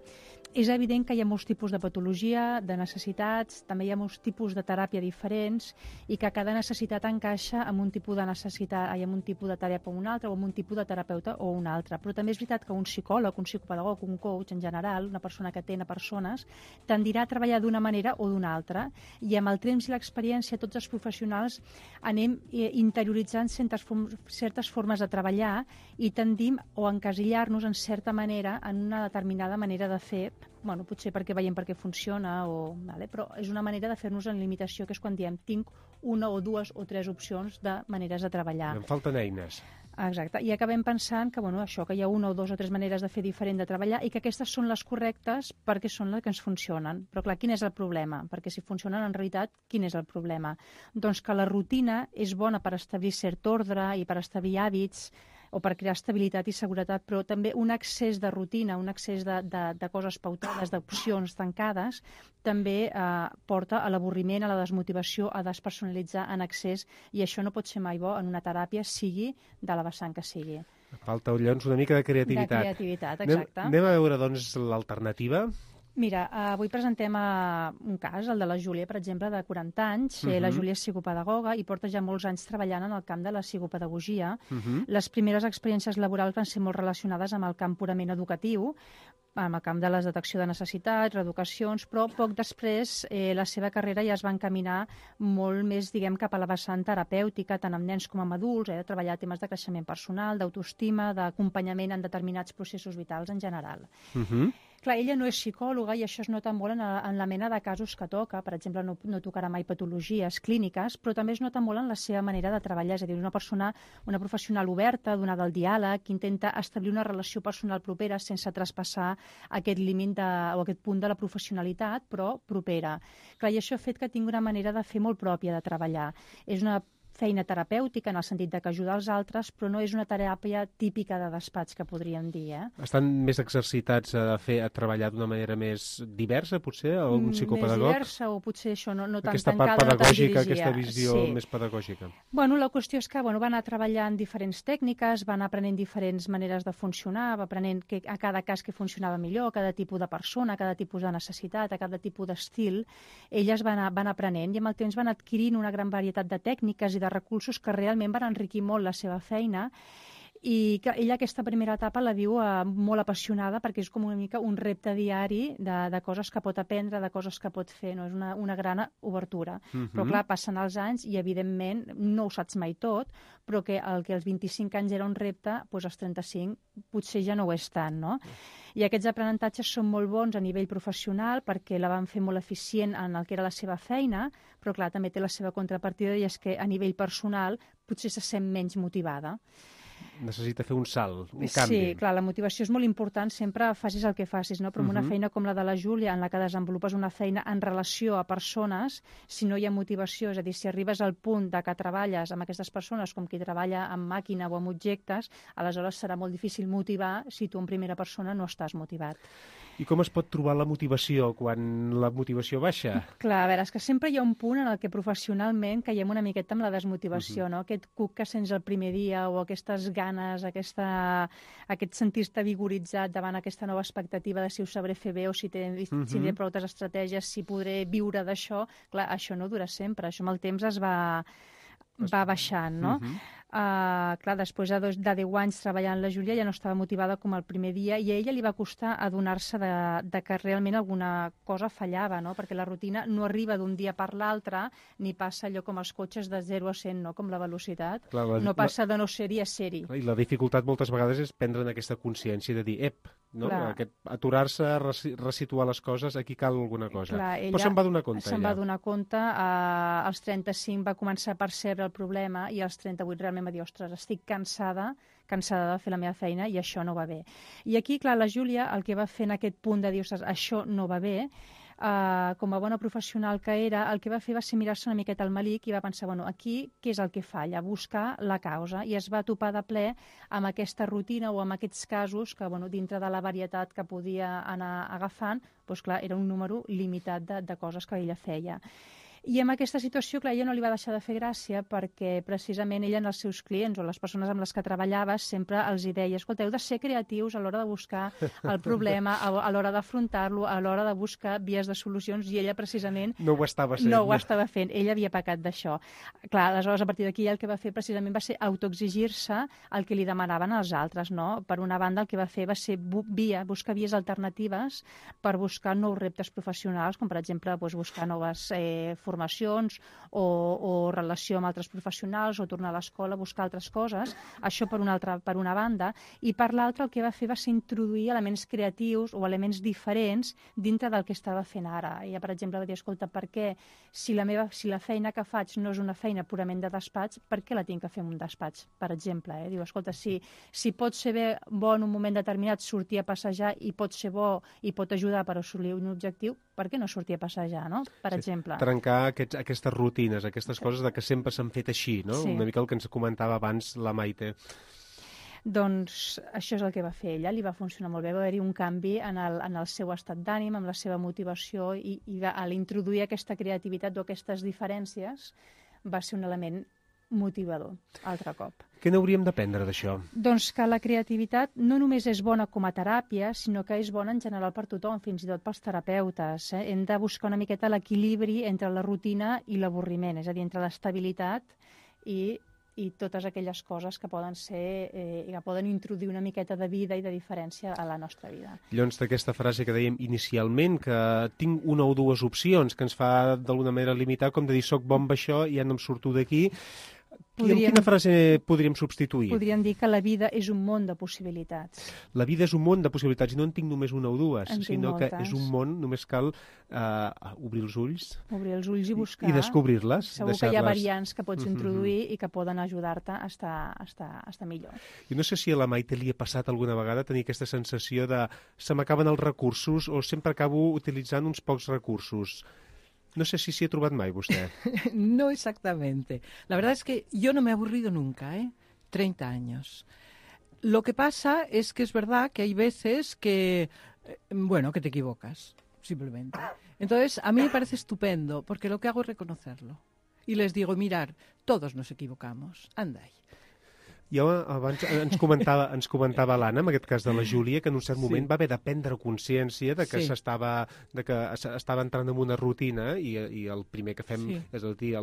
S14: És evident que hi ha molts tipus de patologia, de necessitats, també hi ha molts tipus de teràpia diferents i que cada necessitat encaixa amb un tipus de necessitat, amb un tipus de teràpia o un altre, o amb un tipus de terapeuta o un altre. Però també és veritat que un psicòleg, un psicopedagog, un coach en general, una persona que atén a persones, tendirà a treballar d'una manera o d'una altra, i amb el temps i l'experiència tots els professionals anem interioritzant certes, certes formes de treballar i tendim o encasillar-nos en certa manera en una determinada manera de fer, bueno, potser perquè veiem per què funciona, o, vale, però és una manera de fer-nos en limitació, que és quan diem tinc una o dues o tres opcions de maneres de treballar.
S2: Em falten eines.
S14: Exacte, i acabem pensant que, bueno, això, que hi ha una o dues o tres maneres de fer diferent de treballar i que aquestes són les correctes perquè són les que ens funcionen. Però clar, quin és el problema? Perquè si funcionen en realitat, quin és el problema? Doncs que la rutina és bona per establir cert ordre i per establir hàbits, o per crear estabilitat i seguretat, però també un excés de rutina, un excés de, de, de coses pautades, d'opcions tancades, també eh, porta a l'avorriment, a la desmotivació, a despersonalitzar en excés, i això no pot ser mai bo en una teràpia, sigui de la vessant que sigui.
S2: Falta, llavors, una mica de creativitat.
S14: De creativitat, exacte.
S2: Anem, anem a veure, doncs, l'alternativa.
S14: Mira, avui presentem uh, un cas, el de la Júlia, per exemple, de quaranta anys. Uh-huh. La Júlia és psicopedagoga i porta ja molts anys treballant en el camp de la psicopedagogia. Uh-huh. Les primeres experiències laborals van ser molt relacionades amb el camp purament educatiu, amb el camp de la detecció de necessitats, reeducacions, però poc després eh, la seva carrera ja es va encaminar molt més, diguem, cap a la vessant terapèutica, tant amb nens com amb adults, eh, de treballar temes de creixement personal, d'autoestima, d'acompanyament en determinats processos vitals en general. Uh-huh. Clar, ella no és psicòloga i això es nota molt en, en la mena de casos que toca. Per exemple, no, no tocarà mai patologies clíniques, però també es nota molt en la seva manera de treballar. És a dir, una persona, una professional oberta, donada al diàleg, que intenta establir una relació personal propera sense traspassar aquest límit de, o aquest punt de la professionalitat, però propera. Clar, i això ha fet que tingui una manera de fer molt pròpia de treballar. És una feina terapèutica en el sentit de que ajuda els altres, però no és una teràpia típica de despatx, que podríem dir. Eh?
S2: Estan més exercitats a, fer, a treballar d'una manera més diversa, potser, algun psicopedagog?
S14: Més diversa, o potser això, no, no tan
S2: aquesta
S14: tancada,
S2: part pedagògica,
S14: no tan
S2: aquesta visió
S14: sí.
S2: més pedagògica.
S14: Bueno, la qüestió és que bueno, van anar treballant diferents tècniques, van aprenent diferents maneres de funcionar, va aprenent que, a cada cas que funcionava millor, a cada tipus de persona, a cada tipus de necessitat, a cada tipus d'estil. Elles van, van aprenent i amb el temps van adquirint una gran varietat de tècniques i de recursos que realment van enriquir molt la seva feina, i que ella aquesta primera etapa la viu eh, molt apassionada, perquè és com una mica un repte diari de, de coses que pot aprendre, de coses que pot fer, no? És una, una gran obertura. Uh-huh. Però clar, passen els anys i evidentment no ho saps mai tot, però que el que als vint-i-cinc anys era un repte, doncs als trenta-cinc potser ja no ho és tant, no? I aquests aprenentatges són molt bons a nivell professional perquè la van fer molt eficient en el que era la seva feina, però clar, també té la seva contrapartida, i és que a nivell personal potser se sent menys motivada.
S2: Necessita fer un salt, un canvi.
S14: Sí, clar, la motivació és molt important, sempre facis el que facis, no? Però amb uh-huh. una feina com la de la Júlia, en la que desenvolupes una feina en relació a persones, si no hi ha motivació, és a dir, si arribes al punt de que treballes amb aquestes persones com qui treballa amb màquina o amb objectes, aleshores serà molt difícil motivar si tu en primera persona no estàs motivat.
S2: I com es pot trobar la motivació quan la motivació baixa?
S14: Clar, a veure, és que sempre hi ha un punt en el que professionalment caiem una miqueta amb la desmotivació, uh-huh. no? Aquest cuc que sents el primer dia, o aquestes ganes, aquesta, aquest sentir-te vigoritzat davant aquesta nova expectativa de si ho sabré fer bé, o si tindré uh-huh. prou estratègies, si podré viure d'això. Clar, això no dura sempre, això amb el temps es va... va baixant, no? Uh-huh. Uh, clar, després de, dos, de deu anys treballant la Júlia ja no estava motivada com el primer dia i a ella li va costar adonar-se de, de que realment alguna cosa fallava, no? Perquè la rutina no arriba d'un dia per l'altre ni passa allò com els cotxes de zero a cent, no? Com la velocitat. Clar, la, no passa la, de no ser-hi a ser-hi.
S2: I la dificultat moltes vegades és prendre'n aquesta consciència de dir, ep, no? Aquest, aturar-se, resituar les coses, aquí cal alguna cosa.
S14: Clar,
S2: però se'n va donar compte.
S14: Se'n va donar compte, uh, als trenta-cinc va començar a percebre el problema i als trenta-vuit realment va dir, ostres, estic cansada, cansada de fer la meva feina i això no va bé. I aquí, clar, la Júlia el que va fer en aquest punt de dir, ostres, això no va bé, Uh, com a bona professional que era, el que va fer va ser mirar-se una miqueta al melic i va pensar, bueno, aquí què és el que falla? Buscar la causa. I es va topar de ple amb aquesta rutina o amb aquests casos que, bueno, dintre de la varietat que podia anar agafant, doncs clar, era un número limitat de, de coses que ella feia. I en aquesta situació, clar, ella no li va deixar de fer gràcia perquè precisament ella en els seus clients o les persones amb les que treballava sempre els hi deia, escolta, heu de ser creatius a l'hora de buscar el problema, a l'hora d'afrontar-lo, a l'hora de buscar vies de solucions, i ella precisament
S2: no ho estava fent.
S14: No ho estava fent, ella havia pecat d'això. Clar, aleshores, a partir d'aquí el que va fer precisament va ser autoexigir-se el que li demanaven els altres, no? Per una banda, el que va fer va ser bu via, buscar vies alternatives per buscar nous reptes professionals, com per exemple doncs, buscar noves eh, formacions o, o relació amb altres professionals o tornar a l'escola, buscar altres coses, això per una, altra, per una banda, i per l'altra el que va fer va ser introduir elements creatius o elements diferents dintre del que estava fent ara. Ella, per exemple, va dir, escolta, per què si la, meva, si la feina que faig no és una feina purament de despatx, per què la tinc que fer en un despatx, per exemple? Eh? Diu, escolta, si, si pot ser bé, bo en un moment determinat sortir a passejar i pot ser bo i pot ajudar per assolir un objectiu, per què no sortir a passejar, no? Per sí, exemple.
S2: Trencar Aquests, aquestes rutines, aquestes coses de que sempre s'han fet així, no? Sí. Una mica el que ens comentava abans la Maite.
S14: Doncs això és el que va fer ella, li va funcionar molt bé, va haver-hi un canvi en el, en el seu estat d'ànim, en la seva motivació, i, i a l'introduir aquesta creativitat o aquestes diferències va ser un element motivador, altre cop.
S2: Què n'hauríem d'aprendre d'això?
S14: Doncs que la creativitat no només és bona com a teràpia, sinó que és bona en general per tothom, fins i tot pels terapeutes. Eh? Hem de buscar una miqueta l'equilibri entre la rutina i l'avorriment, és a dir, entre l'estabilitat i, i totes aquelles coses que poden ser, eh, que poden introduir una miqueta de vida i de diferència a la nostra vida.
S2: Llavors, d'aquesta frase que dèiem inicialment, que tinc una o dues opcions, que ens fa d'alguna manera limitar, com de dir, soc bon amb això i ja no em surto d'aquí. Podríem, quina frase podríem substituir?
S14: Podríem dir que la vida és un món de possibilitats.
S2: La vida és un món de possibilitats, i no en tinc només una o dues,
S14: en
S2: sinó que és un món, només cal uh, obrir els ulls.
S14: Obrir els ulls i buscar.
S2: I descobrir-les.
S14: Segur que hi ha variants que pots introduir mm-hmm. i que poden ajudar-te a estar, a, estar, a estar millor.
S2: Jo no sé si a la Maite li ha passat alguna vegada tenir aquesta sensació de se m'acaben els recursos o sempre acabo utilitzant uns pocs recursos. No sé si s'hi ha trobat mai, vostè.
S4: No exactamente. La verdad es que yo no me he aburrido nunca, ¿eh? treinta años. Lo que pasa es que es verdad que hay veces que, bueno, que te equivocas, simplemente. Entonces, a mí me parece estupendo, porque lo que hago es reconocerlo. Y les digo, mirar, todos nos equivocamos, anda ahí.
S2: Jo abans ens comentava, ens comentava l'Anna, en aquest cas de la Júlia, que en un cert moment sí. va haver de prendre consciència de que sí. s'estava de que estava entrant en una rutina i, i el primer que fem sí. és a dir,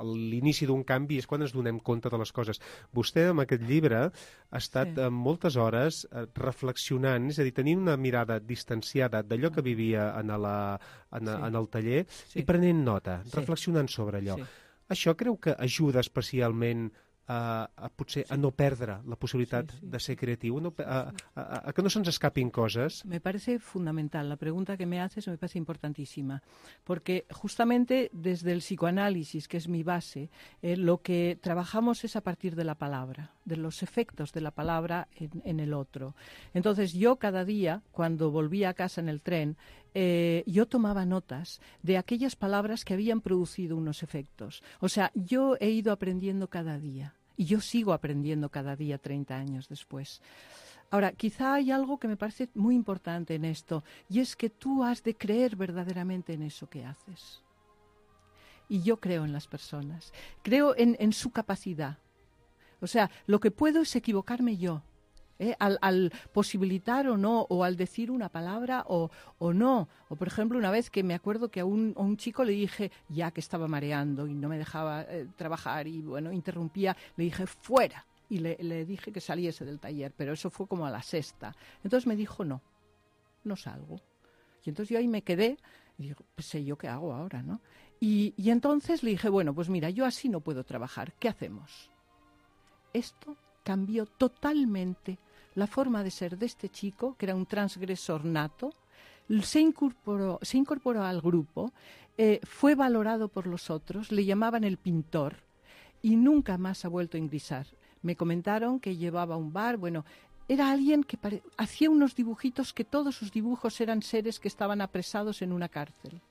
S2: l'inici d'un canvi és quan ens donem compte de les coses. Vostè amb aquest llibre ha estat sí. moltes hores reflexionant, és a dir, tenint una mirada distanciada d'allò que vivia en, la, en, sí. en el taller sí. i prenent nota, sí. reflexionant sobre allò. Sí. Això creu que ajuda especialment A, a potser sí. a no perdre la possibilitat sí, sí, de ser creatiu, no, a, a, a que no se'ns escapin coses?
S4: Me parece fundamental. La pregunta que me haces me parece importantísima, porque justamente desde el psicoanálisis, que es mi base, eh, lo que trabajamos es a partir de la palabra, de los efectos de la palabra en, en el otro. Entonces yo cada día, cuando volvía a casa en el tren, Eh, yo tomaba notas de aquellas palabras que habían producido unos efectos. O sea, yo he ido aprendiendo cada día y yo sigo aprendiendo cada día treinta años después. Ahora, quizá hay algo que me parece muy importante en esto, y es que tú has de creer verdaderamente en eso que haces. Y yo creo en las personas, creo en, en su capacidad. O sea, lo que puedo es equivocarme yo. ¿Eh? Al, al posibilitar o no, o al decir una palabra o, o no. O, por ejemplo, una vez que me acuerdo que a un, a un chico le dije, ya que estaba mareando y no me dejaba eh, trabajar y, bueno, interrumpía, le dije, fuera. y le, le dije que saliese del taller, pero eso fue como a la sexta. Entonces me dijo, no, no salgo. Y entonces yo ahí me quedé y digo, pues sé yo qué hago ahora, ¿no? Y, y entonces le dije, bueno, pues mira, yo así no puedo trabajar, ¿qué hacemos? Esto cambió totalmente la forma de ser de este chico, que era un transgresor nato, se incorporó, se incorporó al grupo, eh, fue valorado por los otros, le llamaban el pintor y nunca más ha vuelto a ingresar. Me comentaron que llevaba un bar, bueno, era alguien que pare... hacía unos dibujitos que todos sus dibujos eran seres que estaban apresados en una cárcel.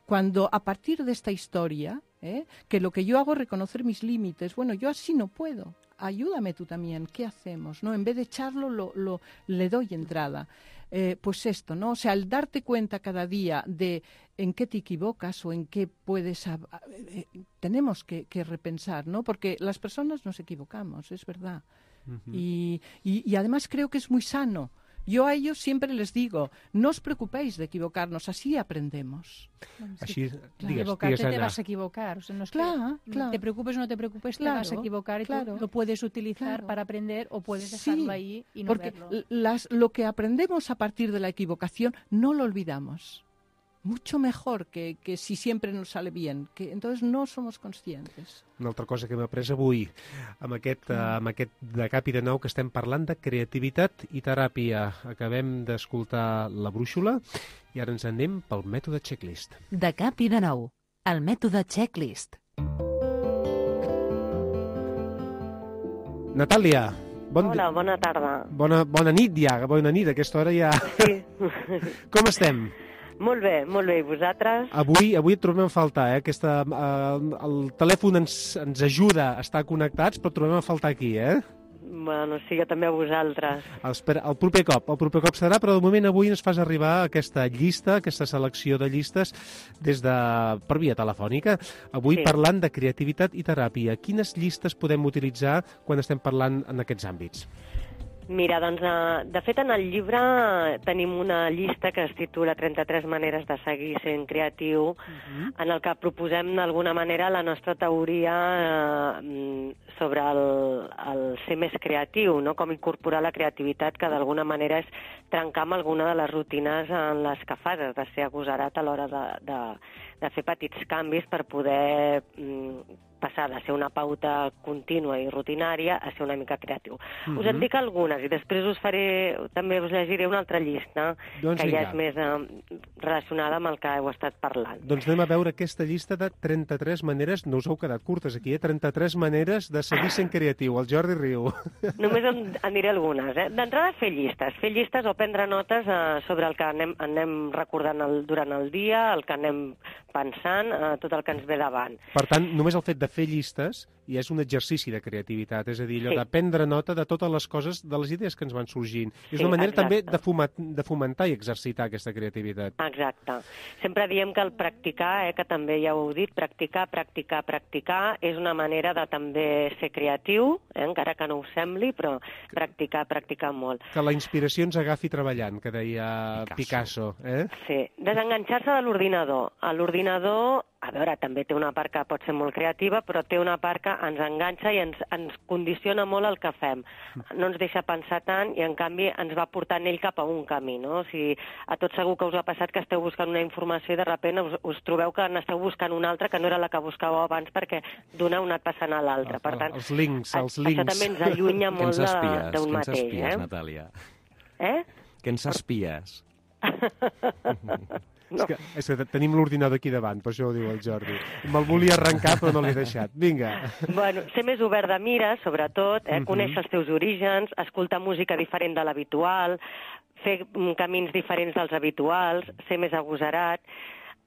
S4: Cuando a partir de esta historia, ¿eh? que lo que yo hago es reconocer mis límites, bueno, yo así no puedo. Ayúdame tú también, ¿qué hacemos? ¿No? En vez de echarlo, lo, lo, le doy entrada. Eh, pues esto, ¿no? O sea, al darte cuenta cada día de en qué te equivocas o en qué puedes... Eh, eh, tenemos que, que repensar, ¿no? Porque las personas nos equivocamos, es verdad. Uh-huh. y, y, y además creo que es muy sano. Yo a ellos siempre les digo, no os preocupéis de equivocarnos, así aprendemos.
S2: Així,
S14: claro,
S2: digues,
S14: equivocarte
S2: digues,
S14: te vas a equivocar. O sea, no es
S4: claro,
S14: que
S4: claro.
S14: te preocupes o no te preocupes,
S4: claro,
S14: te vas a equivocar y
S4: claro,
S14: tú lo puedes utilizar
S4: claro.
S14: para aprender o puedes dejarlo
S4: sí,
S14: ahí y no
S4: porque
S14: verlo.
S4: Las, lo que aprendemos a partir de la equivocación no lo olvidamos. Mucho mejor que, que si siempre nos sale bien, que entonces no somos conscientes.
S2: Una altra cosa que hem après avui amb aquest, mm. amb aquest de cap i de nou que estem parlant de creativitat i teràpia. Acabem d'escoltar La Brúixola i ara ens anem pel mètode checklist.
S1: De cap i de nou, el mètode checklist.
S2: Natàlia, bon
S15: Hola, bona tarda.
S2: Bona, bona nit ja, bona nit, a aquesta hora ja.
S15: Sí.
S2: Com estem?
S15: Molt bé, molt bé. I vosaltres?
S2: Avui, avui et trobem a faltar, eh? Aquesta, eh, el telèfon ens, ens ajuda a estar connectats, però et trobem a faltar aquí, eh?
S15: Bueno, sí, jo també a vosaltres.
S2: Espera, el proper cop, el proper cop serà, però de moment avui ens fas arribar aquesta llista, aquesta selecció de llistes des de, per via telefònica. Avui
S15: Sí.
S2: parlant de creativitat i teràpia. Quines llistes podem utilitzar quan estem parlant en aquests àmbits?
S15: Mira, doncs, eh, de fet, en el llibre tenim una llista que es titula trenta-tres maneres de seguir sent creatiu, uh-huh. en el que proposem d'alguna manera la nostra teoria eh, sobre el, el ser més creatiu, no? Com incorporar la creativitat, que d'alguna manera és trencar amb alguna de les rutines en les que fas, has de ser agosarat a l'hora de, de, de fer petits canvis per poder mm, passar de ser una pauta contínua i rutinària a ser una mica creatiu. Mm-hmm. Us en dic algunes i després us faré, també us llegiré una altra llista
S2: doncs
S15: que
S2: vinga.
S15: ja és més eh, relacionada amb el que heu estat parlant.
S2: Doncs anem a veure aquesta llista de trenta-tres maneres, no us heu quedat curtes aquí, eh? trenta-tres maneres de seguir sent creatiu. El Jordi riu.
S15: Només en, en diré algunes. Eh? D'entrada, fer llistes. Fer llistes o prendre notes eh, sobre el que anem, anem recordant el, durant el dia, el que anem pensant, eh, tot el que ens ve davant.
S2: Per tant, només el fet de fer llistes ja és un exercici de creativitat, és a dir, allò
S15: Sí.
S2: de prendre nota de totes les coses, de les idees que ens van sorgint. És
S15: Sí,
S2: una manera
S15: exacte.
S2: també de, fuma, de fomentar i exercitar aquesta creativitat.
S15: Exacte. Sempre diem que el practicar, eh, que també ja ho heu dit, practicar, practicar, practicar, és una manera de també ser creatiu, eh, encara que no ho sembli, però practicar, practicar molt.
S2: Que la inspiració ens agafi treballant, que deia Picasso. Picasso eh?
S15: Sí, desenganxar-se de l'ordinador. A l'ordinador, a veure, també té una part que pot ser molt creativa, però té una part que ens enganxa i ens, ens condiciona molt el que fem. No ens deixa pensar tant i, en canvi, ens va portant ell cap a un camí, no? O sigui, a tots segur que us ha passat que esteu buscant una informació i de sobte us, us trobeu que n'esteu buscant una altra que no era la que buscàveu abans perquè d'una heu anat passant a l'altra. Per tant,
S2: els links, els
S15: això
S2: links.
S15: també ens allunya molt d'un mateix.
S3: Què ens espies,
S15: eh?
S3: Natàlia?
S15: Eh?
S3: Què ens espies?
S15: No.
S2: És que, és que tenim l'ordinador aquí davant, per això ho diu el Jordi. Me'l volia arrencar, però no l'he deixat. Vinga.
S15: Bueno, ser més obert de mira, sobretot, eh?
S2: Mhm.
S15: Conèixer els teus orígens, escoltar música diferent de l'habitual, fer mm, camins diferents dels habituals, ser més agosarat,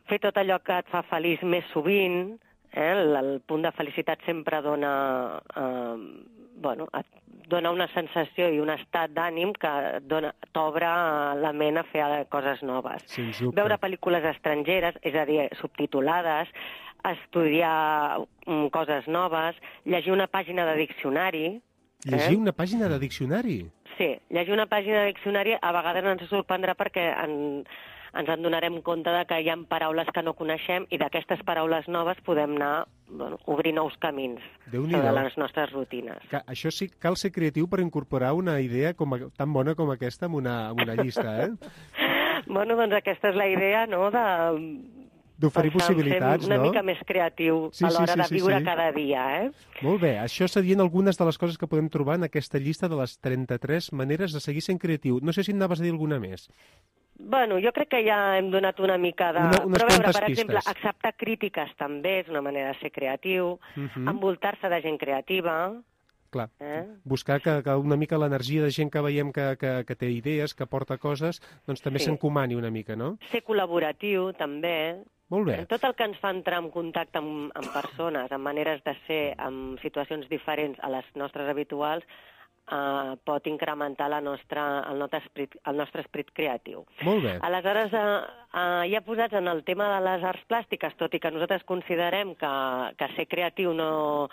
S15: fer tot allò que et fa feliç més sovint, eh? el, el punt de felicitat sempre dona... Eh, bueno, et dona una sensació i un estat d'ànim que dona- t'obre la ment a fer coses noves.
S2: Sens dubte.
S15: Veure pel·lícules estrangeres, és a dir, subtitulades, estudiar mm, coses noves, llegir una pàgina de diccionari.
S2: Llegir
S15: eh?
S2: una pàgina de diccionari?
S15: Sí, llegir una pàgina de diccionari a vegades ens sorprendrà perquè en, ens en donarem compte de que hi ha paraules que no coneixem i d'aquestes paraules noves podem anar, bueno, obrir nous camins sobre les nostres rutines.
S2: Que això sí, cal ser creatiu per incorporar una idea com a, tan bona com aquesta en una, en una llista, eh?
S15: Bueno, doncs aquesta és la idea, no?, de...
S2: d'oferir possibilitats,
S15: una
S2: no?
S15: mica més creatiu
S2: sí,
S15: a l'hora
S2: sí, sí,
S15: de viure
S2: sí, sí.
S15: cada dia, eh?
S2: Molt bé, això serien algunes de les coses que podem trobar en aquesta llista de les trenta-tres maneres de seguir sent creatiu. No sé si en anaves a dir alguna més.
S15: Bueno, jo crec que ja hem donat una mica de...
S2: Una, unes
S15: Però a veure, per
S2: pistes.
S15: exemple, acceptar crítiques també és una manera de ser creatiu,
S2: Uh -huh.
S15: envoltar-se de gent creativa...
S2: Clar,
S15: eh?
S2: buscar que, que una mica l'energia de gent que veiem que, que, que té idees, que porta coses, doncs també
S15: Sí.
S2: s'encomani una mica, no?
S15: Ser col·laboratiu, també.
S2: Molt bé.
S15: Tot el que ens fa entrar en contacte amb, amb persones, amb maneres de ser, amb situacions diferents a les nostres habituals, eh, pot incrementar la nostra, el, nostre esprit, el nostre esprit creatiu.
S2: Molt bé.
S15: Aleshores, eh, eh, ja posats en el tema de les arts plàstiques, tot i que nosaltres considerem que, que ser creatiu no,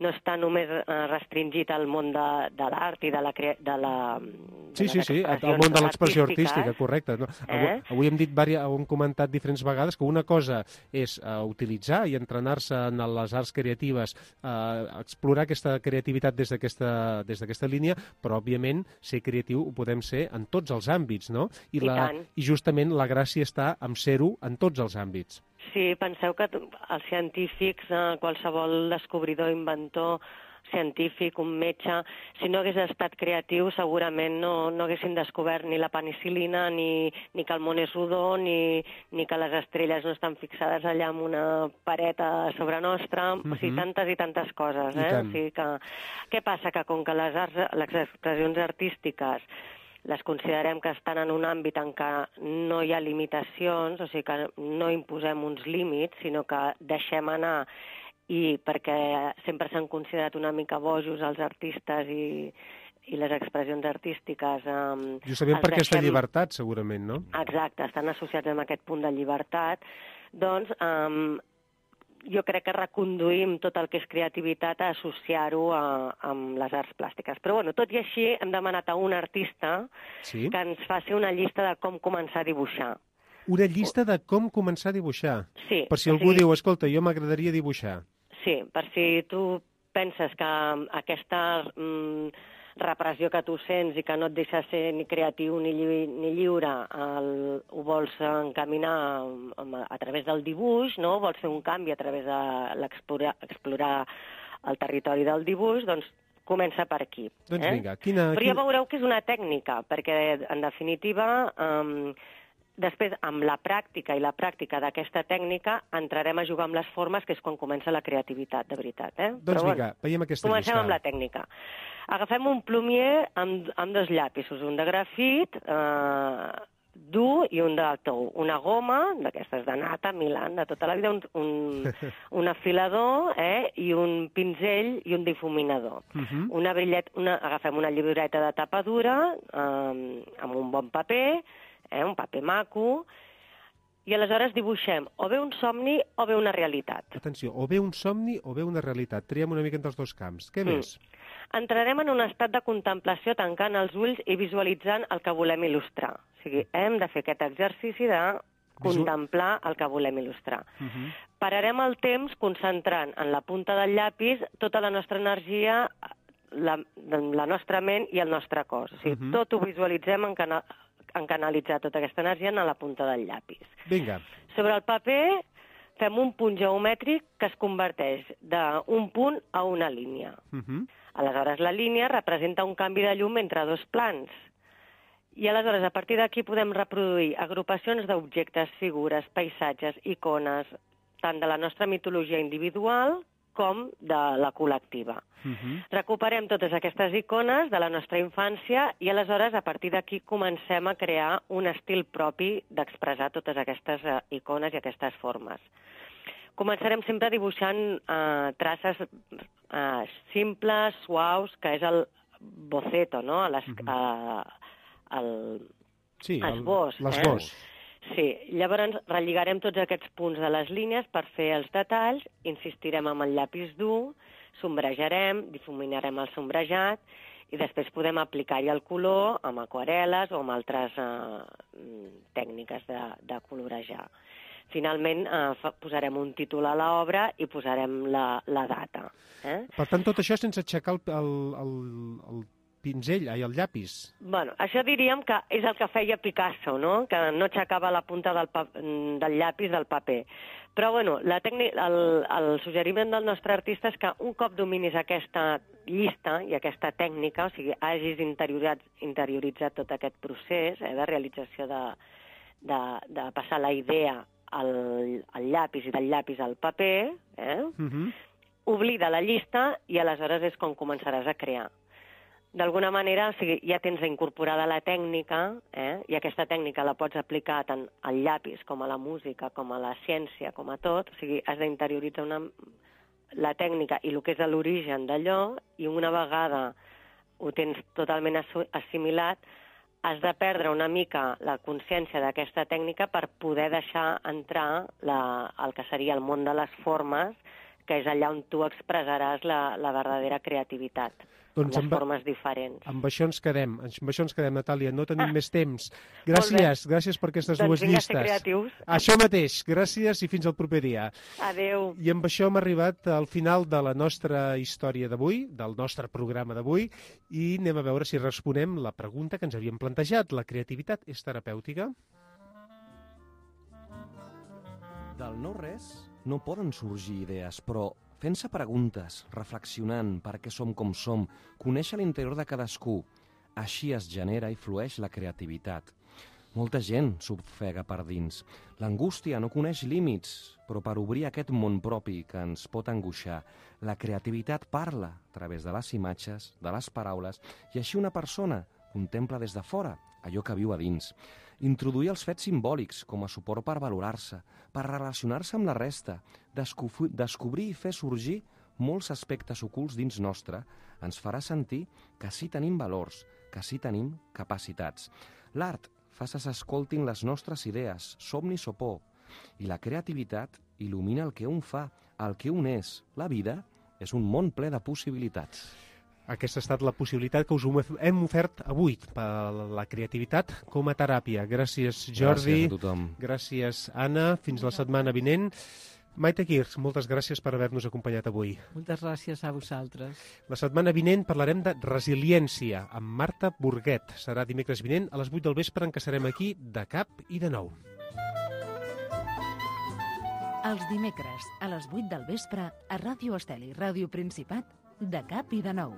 S15: no està només eh, restringit al món de, de l'art i de la... Crea de la de
S2: Sí,
S15: les
S2: sí, sí, al
S15: expressions
S2: món de l'expressió
S15: artístiques.
S2: artística, correcte. No? Avui,
S15: Eh?
S2: avui hem dit, varia, hem comentat diferents vegades que una cosa és uh, utilitzar i entrenar-se en les arts creatives, uh, explorar aquesta creativitat des d'aquesta des d'aquesta línia, però, òbviament, ser creatiu ho podem ser en tots els àmbits, no? I,
S15: I
S2: la,
S15: tant.
S2: I justament la gràcia està en ser-ho en tots els àmbits.
S15: Sí, penseu que els científics, eh, qualsevol descobridor, inventor, científic, un metge, si no hagués estat creatiu segurament no, no haguessin descobert ni la penicil·lina, ni, ni que el món és rodó, ni, ni que les estrelles no estan fixades allà en una paret a sobre nostra, mm-hmm. o sigui, tantes i tantes coses. Eh? O sigui que, què passa? Que com que les, arts, les expressions artístiques les considerem que estan en un àmbit en què no hi ha limitacions, o sigui que no imposem uns límits, sinó que deixem anar, i perquè sempre s'han considerat una mica bojos els artistes i, i les expressions artístiques. Um,
S2: Justament per aquesta
S15: deixem...
S2: llibertat, segurament, no?
S15: Exacte, estan associats amb aquest punt de llibertat. Doncs um, jo crec que reconduïm tot el que és creativitat a associar-ho a, amb les arts plàstiques. Però, bueno, tot i així, hem demanat a un artista
S2: sí?
S15: que ens faci una llista de com començar a dibuixar.
S2: Una llista de com començar a dibuixar?
S15: Sí.
S2: Per si algú
S15: sí.
S2: diu, escolta, jo m'agradaria dibuixar.
S15: Sí, per si tu penses que aquesta mm, repressió que tu sents i que no et deixa ser ni creatiu ni, lli ni lliure el, ho vols encaminar a, a través del dibuix, no? Vols fer un canvi a través de l'explorar explorar el territori del dibuix, doncs comença per aquí.
S2: Doncs
S15: eh?
S2: vinga, quina...
S15: Però ja veureu que és una tècnica, perquè en definitiva... Um, Després, amb la pràctica i la pràctica d'aquesta tècnica, entrarem a jugar amb les formes, que és quan comença la creativitat, de veritat. Eh?
S2: Doncs
S15: Però,
S2: vinga,
S15: bueno,
S2: veiem aquesta
S15: comencem
S2: llista.
S15: amb la tècnica. Agafem un plumier amb, amb dos llapisos, un de grafit eh, dur i un de tou. Una goma, d'aquestes de nata, Milan, de tota la vida, un, un, un afilador eh, i un pinzell i un difuminador.
S2: Uh -huh.
S15: una brillet, una, agafem una llibreta de tapa dura eh, amb un bon paper, Eh, un paper maco, i aleshores dibuixem o bé un somni o bé una realitat.
S2: Atenció, o bé un somni o bé una realitat. Triem una mica entre els dos camps. Què
S15: mm.
S2: més?
S15: Entrarem en un estat de contemplació tancant els ulls i visualitzant el que volem il·lustrar. O sigui, hem de fer aquest exercici de contemplar el que volem il·lustrar.
S2: Uh -huh.
S15: Pararem el temps concentrant en la punta del llapis tota la nostra energia, la, la nostra ment i el nostre cos. O sigui, uh -huh. tot ho visualitzem en canal en canalitzar tota aquesta energia en la punta del llapis.
S2: Vinga.
S15: Sobre el paper fem un punt geomètric que es converteix d'un punt a una línia.
S2: Uh -huh.
S15: Aleshores, la línia representa un canvi de llum entre dos plans. I aleshores, a partir d'aquí podem reproduir agrupacions d'objectes, figures, paisatges, icones, tant de la nostra mitologia individual com de la col·lectiva.
S2: Uh-huh.
S15: Recuperem totes aquestes icones de la nostra infància i aleshores a partir d'aquí comencem a crear un estil propi d'expressar totes aquestes uh, icones i aquestes formes. Començarem sempre dibuixant uh, traces uh, simples, suaus, que és el boceto, no? Les, uh, el
S2: sí,
S15: esbós.
S2: L'esbós.
S15: Eh? Sí, llavors relligarem tots aquests punts de les línies per fer els detalls, insistirem amb el llapis dur, sombrejarem, difuminarem el sombrejat i després podem aplicar-hi el color amb aquarel·les o amb altres eh, tècniques de, de colorejar. Finalment eh, fa, posarem un títol a l'obra i posarem la, la data. Eh?
S2: Per tant, tot això sense aixecar el, el, el, el pinzell, ai, el llapis.
S15: Bueno, això diríem que és el que feia Picasso, no? Que no aixecava la punta del, pa del llapis del paper. Però, bueno, la el, el suggeriment del nostre artista és que un cop dominis aquesta llista i aquesta tècnica, o sigui, hagis interioritzat, interioritzat tot aquest procés eh, de realització de, de, de passar la idea al, al llapis i del llapis al paper, eh? Uh-huh. Oblida la llista i aleshores és quan començaràs a crear. D'alguna manera, o sigui, ja tens incorporada la tècnica, eh? I aquesta tècnica la pots aplicar tant al llapis com a la música, com a la ciència, com a tot. O sigui, has d'interioritzar una... la tècnica i el que és l'origen d'allò, i una vegada ho tens totalment assimilat, has de perdre una mica la consciència d'aquesta tècnica per poder deixar entrar la, el que seria el món de les formes, que és allà on tu expressaràs la, la verdadera creativitat. Doncs amb les formes diferents.
S2: Amb això ens quedem, amb això ens quedem, Natàlia, no tenim ah. més temps. Gràcies, gràcies per aquestes
S15: doncs
S2: dues llistes.
S15: Doncs vinga a ser creatius.
S2: Això mateix, gràcies i fins al proper dia.
S15: Adéu.
S2: I amb això hem arribat al final de la nostra història d'avui, del nostre programa d'avui, i anem a veure si responem la pregunta que ens havíem plantejat. La creativitat és terapèutica?
S3: Del no-res no poden sorgir idees, però fent-se preguntes, reflexionant per què som com som, conèixer l'interior de cadascú, així es genera i flueix la creativitat. Molta gent s'ofega per dins. L'angústia no coneix límits, però per obrir aquest món propi que ens pot angoixar, la creativitat parla a través de les imatges, de les paraules, i així una persona contempla des de fora allò que viu a dins. Introduir els fets simbòlics com a suport per valorar-se, per relacionar-se amb la resta, descobrir i fer sorgir molts aspectes ocults dins nostre, ens farà sentir que sí tenim valors, que sí tenim capacitats. L'art fa que s'escoltin les nostres idees, somnis o por, i la creativitat il·lumina el que un fa, el que un és. La vida és un món ple de possibilitats.
S2: Aquesta ha estat la possibilitat que us hem ofert avui per la creativitat com a teràpia. Gràcies, Jordi.
S3: Gràcies a tothom.
S2: Gràcies, Anna. Fins la setmana vinent. Maite Kirch, moltes gràcies per haver-nos acompanyat avui.
S4: Moltes gràcies a vosaltres.
S2: La setmana vinent parlarem de resiliència amb Marta Burguet. Serà dimecres vinent a les vuit del vespre en què serem aquí de cap i de nou.
S1: Els dimecres a les vuit del vespre a Ràdio Estel i Ràdio Principat de cap i de nou.